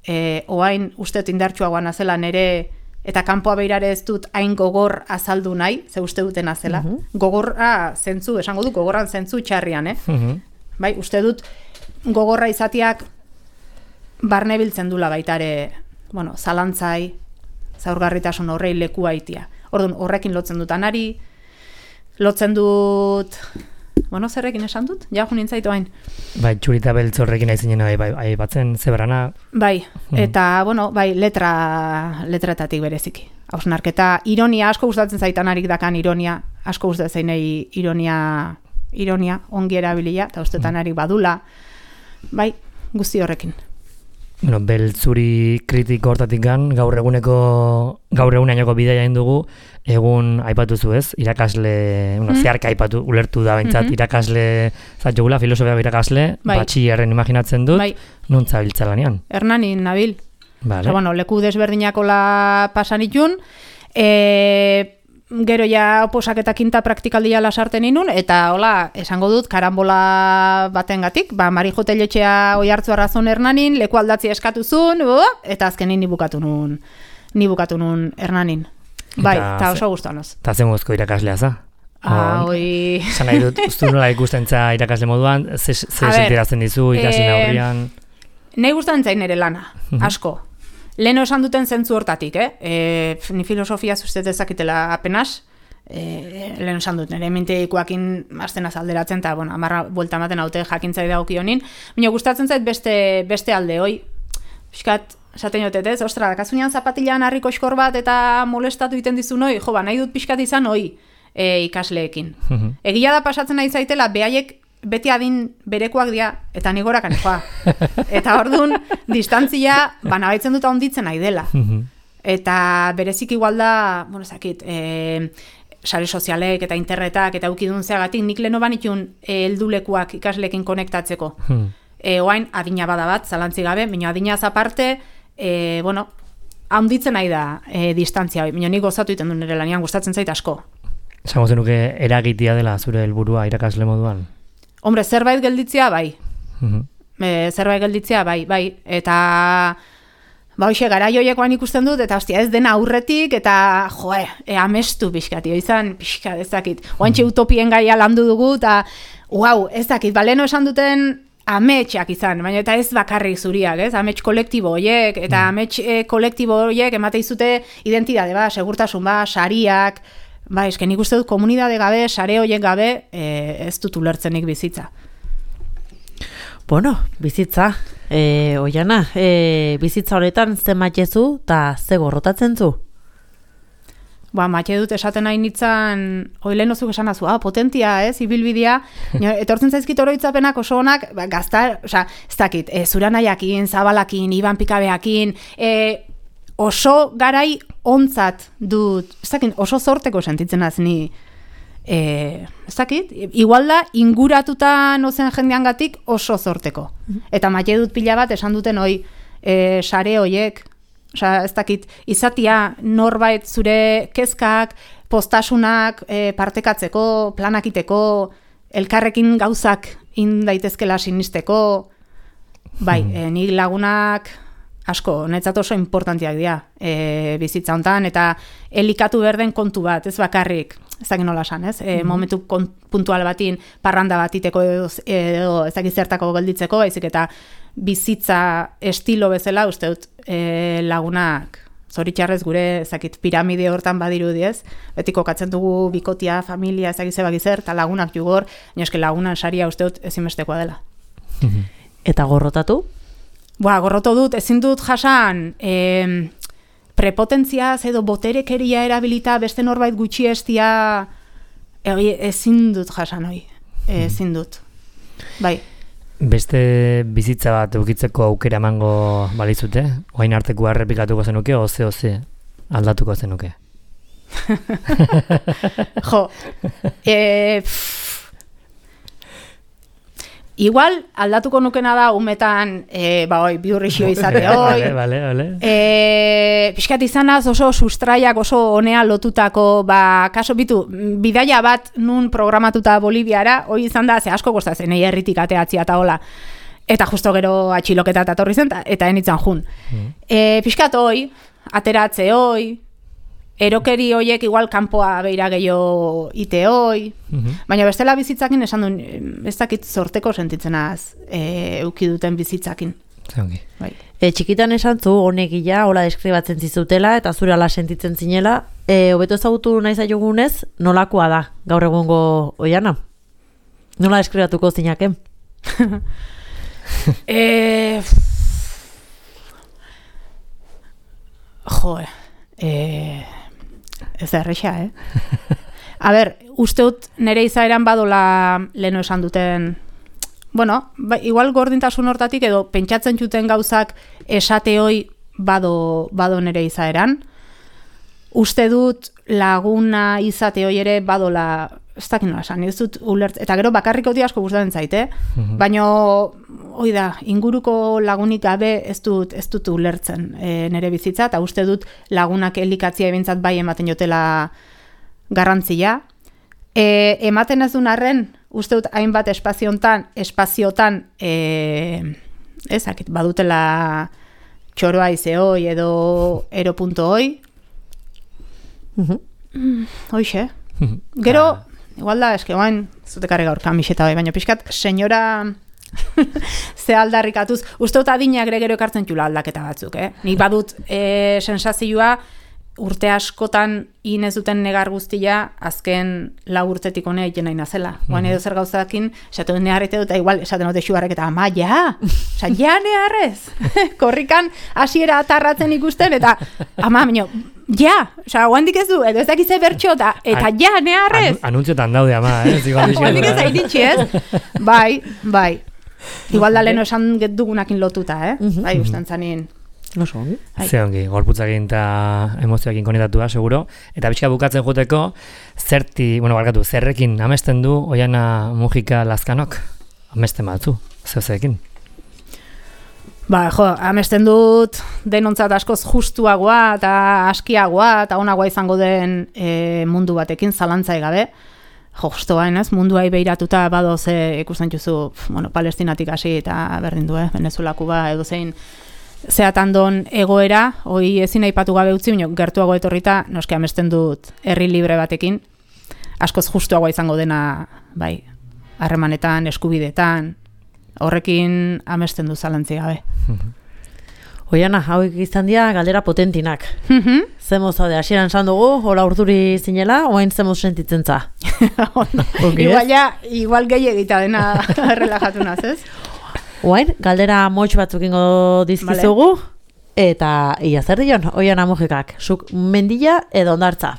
e, oain uste indartsuagoan azela nere, eta kanpoa beirare ez dut hain gogor azaldu nahi, ze uste duten azela. Uh-huh. Gogorra zentzu, esango du, gogorran zentzu txarrian, eh? Uh-huh. Bai, uste dut gogorra izatiak barne biltzen dula baitare, bueno, zalantzai, zaurgarritasun horrei leku haitia. Orduan, horrekin lotzen dut anari, lotzen dut, bueno, zerrekin esan dut? Ja, jo nintzaitu hain. Bai, txurita beltz horrekin aizinena, bai, bai, batzen zebrana. Bai, eta, bueno, bai, letra, letretatik bereziki. Hausnarketa, ironia, asko gustatzen zaitan harik dakan ironia, asko gustatzen zainei ironia, ironia, ongi erabilia, eta ustetan harik badula, bai, guzti horrekin. Bueno, beltzuri kritiko hortatik gan, gaur eguneko, gaur egunainoko bidaia indugu, egun aipatu zu ez, irakasle, bueno, mm. zeharka aipatu, ulertu da behintzat, mm-hmm. irakasle, zatxogula, filosofiako irakasle, bai. Batxillerren imaginatzen dut, bai. Non zabiltza lanean? Hernanin, nabil. Vale. Osa, bueno, leku desberdinako la pasan itun, e, gero ja oposak eta kinta praktikaldia lasarten inun, eta hola, esango dut, karambola batengatik, ba, Marijo Telletxea oi hartzu arrazon Hernanin, leku aldatzi eskatuzun, eta azkenin ni bukatu nun, ni bukatu nun Hernanin. Bai, eta oso guztuanoz. Eta zen guzko irakaslea za? Ah, oi... Zan nahi dut, ustu nola ikusten za irakasle moduan, ze, ze sentirazten dizu ikasle aurrian? Nahi gustatzen zain ere lana, asko. Leno esan duten zentzu hortatik, eh? E, ni filosofia zuztet ezakitela apenas, e, leno esan dut, nire minteikoakin azten azalderatzen, eta, bueno, amarra buelta ematen haute jakintzai dagoki honin, baina gustatzen zait beste, beste alde, hoi, piskat, esaten jotet ez, ostra, dakazunian zapatilan harriko eskor bat eta molestatu iten dizun hoi, jo, ba, nahi dut piskat izan hoi e, ikasleekin. Egia da pasatzen nahi zaitela, behaiek beti adin berekoak dira, eta nigorakan joa. Eta orduan, distantzia, banabaitzen dut handitzen nahi dela. Eta berezik igual da, bueno, zakit, e, sare sozialek eta internetak eta ukidun zeagatik, nik leno banitun heldulekuak ikasleekin konektatzeko. E, oain, adina bada bat, zalantzi gabe, baina adinaz aparte, e, bueno, handitzen nahi da e, distantzia, baina nik gozatu iten du nire lanian, gustatzen zait asko. Esango zenuke eragitia dela zure helburua irakasle moduan? Hombre, zerbait gelditzea bai. Uh-huh. E, zerbait gelditzea bai, bai. Eta, ba, hoxe, garaioiekoan ikusten dut, eta hostia, ez dena aurretik, eta, joe, e, amestu pixkati, izan, pixkat, ez dakit. Oantxe utopien gaia landu dugu, eta, uau, ez dakit, baleno esan duten ametxak izan, baina eta ez bakarrik zuriak, ez? Amets kolektibo horiek, eta amets e, kolektibo horiek emate izute identidade, ba, segurtasun, ba, sariak, ba, esken nik uste dut komunidade gabe, sare horiek gabe, e, ez dut ulertzenik bizitza. Bueno, bizitza, e, oiana, e, bizitza honetan ze matxezu eta ze gorrotatzen zu? Ba, matxe dut esaten nahi nitzan, oile nozuk esan azu, ah, potentia, ez, ibilbidea, etortzen zaizkit oroitzapenak oso honak, ba, gazta, oza, ez dakit, e, Zuranaiakin, Zabalakin, Iban Pikabeakin, e, oso garai ontzat dut, ez dakit, oso zorteko sentitzen az ni, e, ez dakit, igual da, inguratuta nozen jendeangatik oso zorteko. Eta matxe dut pila bat esan duten hoi, e, sare hoiek, osea, ez dakit, izatia norbait zure kezkak, postasunak e, partekatzeko, planakiteko, elkarrekin gauzak indaitezkela sinisteko, bai, hmm. e, nik lagunak asko, netzat oso importantiak dira e, bizitza hontan, eta elikatu berden kontu bat, ez bakarrik, ez dakit nola esan, ez? E, hmm. momentu puntual batin, parranda batiteko edo, edo ez dakit zertako gelditzeko, baizik eta bizitza estilo bezala, uste dut, e, lagunak zoritxarrez gure ezakit piramide hortan badirudi ez, beti kokatzen dugu bikotia, familia, ezakit zebak izer, eta lagunak jugor, inoske lagunan saria uste dut ezinbestekoa dela. Eta gorrotatu? Boa, gorroto dut, ezin dut jasan e, prepotentziaz edo boterekeria erabilita beste norbait gutxi estia e, ezin dut jasan hoi, ezin dut. Bai. Beste bizitza bat eukitzeko aukera emango balizute? Oain arteko errepikatuko zenuke, oze, oze, aldatuko zenuke? Jo, e, Igual, aldatuko nukena da, umetan, e, ba, oi, biurrixio izate, oi. Vale, vale, vale. E, Piskat izanaz oso sustraiak, oso honea lotutako, ba, kaso bitu, bidaia bat nun programatuta Boliviara, hoi izan da, ze asko kostazen, egi herritik ateatzia eta hola. Eta justo gero atxiloketa eta torri zen, eta enitzan jun. Mm. E, Piskat hoi, ateratze hoi, erokeri hoiek igual kanpoa beira gehiago ite hoi, mm-hmm. baina bestela bizitzakin esan duen, ez dakit zorteko sentitzenaz e, euki duten bizitzakin. Zongi. Bai. E, txikitan esan zu, honek ila, hola deskribatzen zizutela, eta zure ala sentitzen zinela, e, hobeto ezagutu nahi zaiogunez, nolakoa da, gaur egungo Oiana? Nola deskribatuko zinaken? e... Joe, eh... ez da erresa, eh? A ber, usteut nere izaeran badola leno esan duten, bueno, ba, igual gordintasun hortatik edo pentsatzen zuten gauzak esate hoi bado, bado nere izaeran. Uste dut laguna izate hoi ere badola, ez dakit nola esan, ez dut ulert, eta gero bakarriko di asko gustatzen zaite, mm-hmm. baina hoi da, inguruko lagunik gabe ez dut, ez dut ulertzen e, nere bizitza, eta uste dut lagunak elikatzia ebintzat bai ematen jotela garrantzia. E, ematen ez duen arren, uste dut hainbat espaziontan, espaziotan, e, ezakit, badutela txoroa ize hoi edo ero punto hoi. Mm-hmm. Mm, hoixe. Gero, igual da, eske guain, zutekarri gaur kamiseta bai, baina pixkat, senyora ze aldarrikatuz, uste dut adinak ere gero ekartzen txula aldaketa batzuk, eh? Nik badut e, sensazioa urte askotan inez duten negar guztia azken lau urtetik honea egiten nahi nazela. Guain edo zer gauzakin, esatu neharrete dut, igual esaten dute xuarrek eta ama, ja, oza, ja neharrez. Korrikan hasiera atarratzen ikusten, eta ama, minio, ja, oza, guandik ez du, edo ez dakize bertxo, eta, eta ja neharrez. An, anuntziotan daude ama, eh? Guandik ez airitxi, ez? Bai, bai. Igual da leheno esan dugunakin lotuta, eh? Bai, usten zanin. No ongi. Ze ongi, gorputzakin eta emozioakin konetatua, seguro. Eta pixka bukatzen joteko, zerti, bueno, barkatu, zerrekin amesten du Oiana Mujika Lazkanok? Amesten batzu, zeuzeekin? Ba, jo, amesten dut denontzat askoz justuagoa eta askiagoa eta onagoa izango den e, mundu batekin, zalantzai gabe. Jo, justu bain, ez? Munduai behiratuta bado ze ikusten juzu, bueno, Palestinatik hasi eta berdin du, eh? Venezuela, Kuba, edo zein zehatandon egoera, hoi ezin aipatu gabe utzi, baina gertuago etorrita, noski amesten dut herri libre batekin, askoz justuagoa izango dena, bai, harremanetan, eskubidetan, horrekin amesten du zalantzi gabe. Oiana, hauek izan dira galdera potentinak. Mm-hmm. Zemoz haude, hasieran esan dugu, hola urduri zinela, oain zemoz sentitzen za. Okay, igual, ja, igual gehi egita dena relajatu naz, ez? Oain, galdera motx batzuk ingo dizkizugu, vale. Eta ia zer dion, Oiana Mujikak, zuk mendila edo ondartza?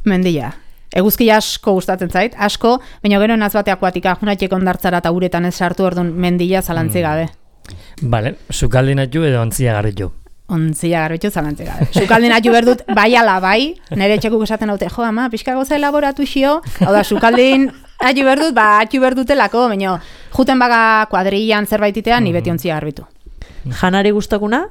Mendila. Eguzki asko gustatzen zait, asko, baina gero naz bateak batika, junatxeko ondartzara eta uretan ez sartu orduan mendila zalantzi gabe. Mm. Vale, sukaldin atu edo ontzia garritu? Ontzia garritu zalantzi gabe. Sukaldin atu berdut bai ala bai, nire etxekuk esaten haute, jo ama, pixka goza elaboratu xio, hau da, sukaldin atu berdut, ba, atu berdutelako, baina juten baga kuadrillan zerbaititean, ni beti ontzia garbitu. Janari gustokuna?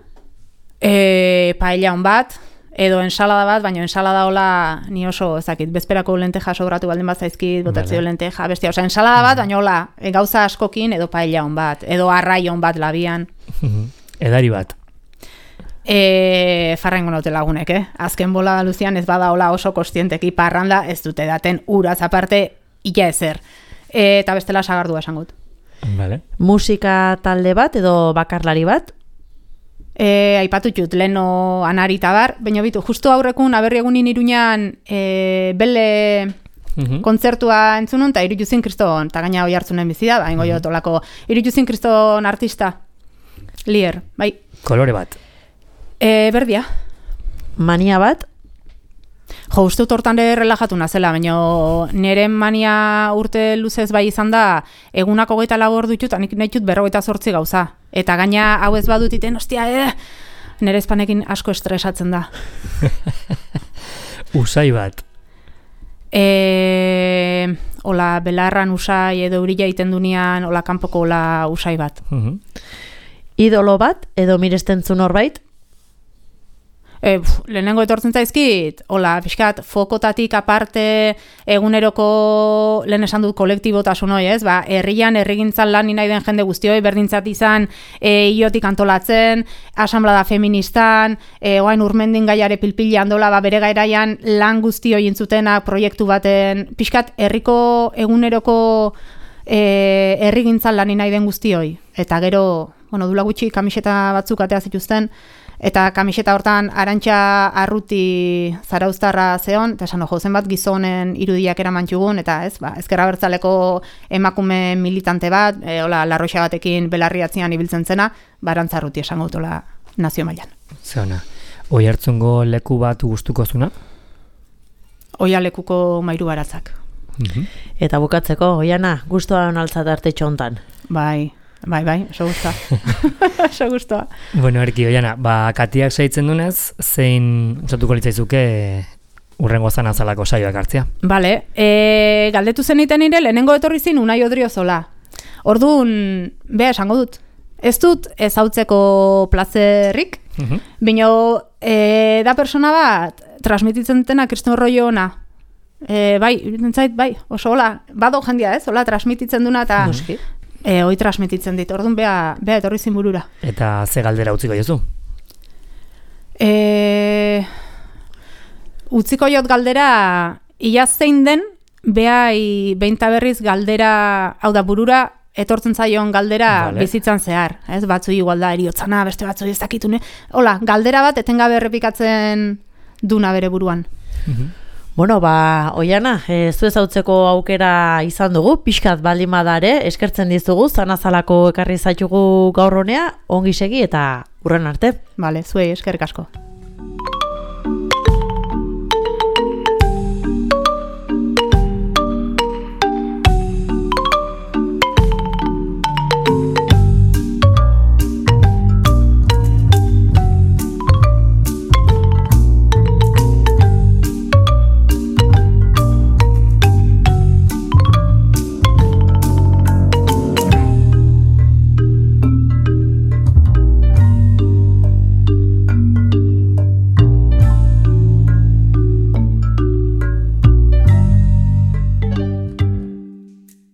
E, paella hon bat, edo ensalada bat, baina ensalada hola ni oso, ezakit, bezperako lenteja sobratu baldin bat zaizkit, botatzio vale. Lenteja, bestia, oza, ensalada bat, baina hola, e, gauza askokin, edo paella hon bat, edo arrai hon bat labian. Edari bat. E, farrengo naute lagunek, eh? Azken bola da luzian ez bada hola oso kostienteki parranda ez dute daten uraz aparte illa ezer. E, eta bestela sagardua esangut. Vale. Musika talde bat edo bakarlari bat? E, aipatu txut, leno anari tabar, baina bitu, justu aurrekun aberri egunin Iruñan e, bele uh-huh. kontzertua entzunun, eta Irujuzin Kriston, eta gaina hoi hartzunen bizida, ba, ingo uh-huh. jotolako Irujuzin Kriston artista, lier, bai. Kolore bat. E, berdia. Mania bat? Jo, uste dut hortan relajatu nazela, baina nire mania urte luzez bai izan da, egunako goita labor dutut, eta nik nahi dut berrogeita zortzi gauza. Eta gaina hau ez badutiten, ostia, eh, nire espanekin asko estresatzen da. Usai bat. E, hola belarran usai edo eurila egiten dunean, hola kanpoko hola usai bat. Mhm. Idolo bat, edo miresten zu norbait? E, pf, lehenengo etortzen zaizkit, hola, pixkat, fokotatik aparte eguneroko, lehen esan dut kolektibotasun hoi, ez? Ba, herrian, herrigintzan lan nahi den jende guztioi, berdintzat izan, e, iotik antolatzen, asamblada feministan, e, oain urmendin gaiare pilpila andola, ba, bere gairaian lan guztioi intzutenak, proiektu baten, pixkat, herriko eguneroko e, herrigintzan lan nahi den guztioi. Eta gero, bueno, dula gutxi kamiseta batzuk atea zituzten, eta kamiseta hortan Arantxa Arruti zarauztarra zeon, eta esan ojo, zenbat gizonen irudiak eraman txugun, eta ez, ba, ezkerra bertzaleko emakume militante bat, e, hola, larroxa batekin belarriatzean ibiltzen zena, ba, Arantxa Arruti esango dutola nazio mailan. Zeona, oi hartzungo leku bat gustuko zuna? Oia lekuko mairu baratzak. Mhm. Eta bukatzeko, Oiana, gustoan altzat artetxo hontan. Bai, bai, bai, oso guztua. Oso guztua. Bueno, erki, Oiana, ba, katiak saitzen dunez, zein osatuko litzaizuke urrengo zanazalako saioak hartzea? Bale, e, galdetu zeniten nire, lehenengo etorri zin Unai Odriozola. Orduan, beha esango dut. Ez dut ezautzeko plazerrik, Mhm. bino e, da persona bat transmititzen dutena kriston rollo ona. E, bai, nintzait, bai, oso hola, bado jendia ez, hola transmititzen duna eta Noski. e, hoi transmititzen dit, orduan beha, beha etorri zin burura. Eta ze galdera utziko jozu? E, utziko jot galdera, ia zein den, behai behinta berriz galdera, hau da burura, etortzen zaion galdera Vale. bizitzan zehar. Ez, batzu igual da, eriotzana, beste batzu ez dakitune. Hola, galdera bat etengabe errepikatzen duna bere buruan. Bueno, ba, Oiana, e, zu ezautzeko aukera izan dugu, pixkat baldin badare, eskertzen dizugu, zanazalako ekarri zaitugu gaur honea, ongi segi eta urren arte. Vale, zuei eskerrik asko.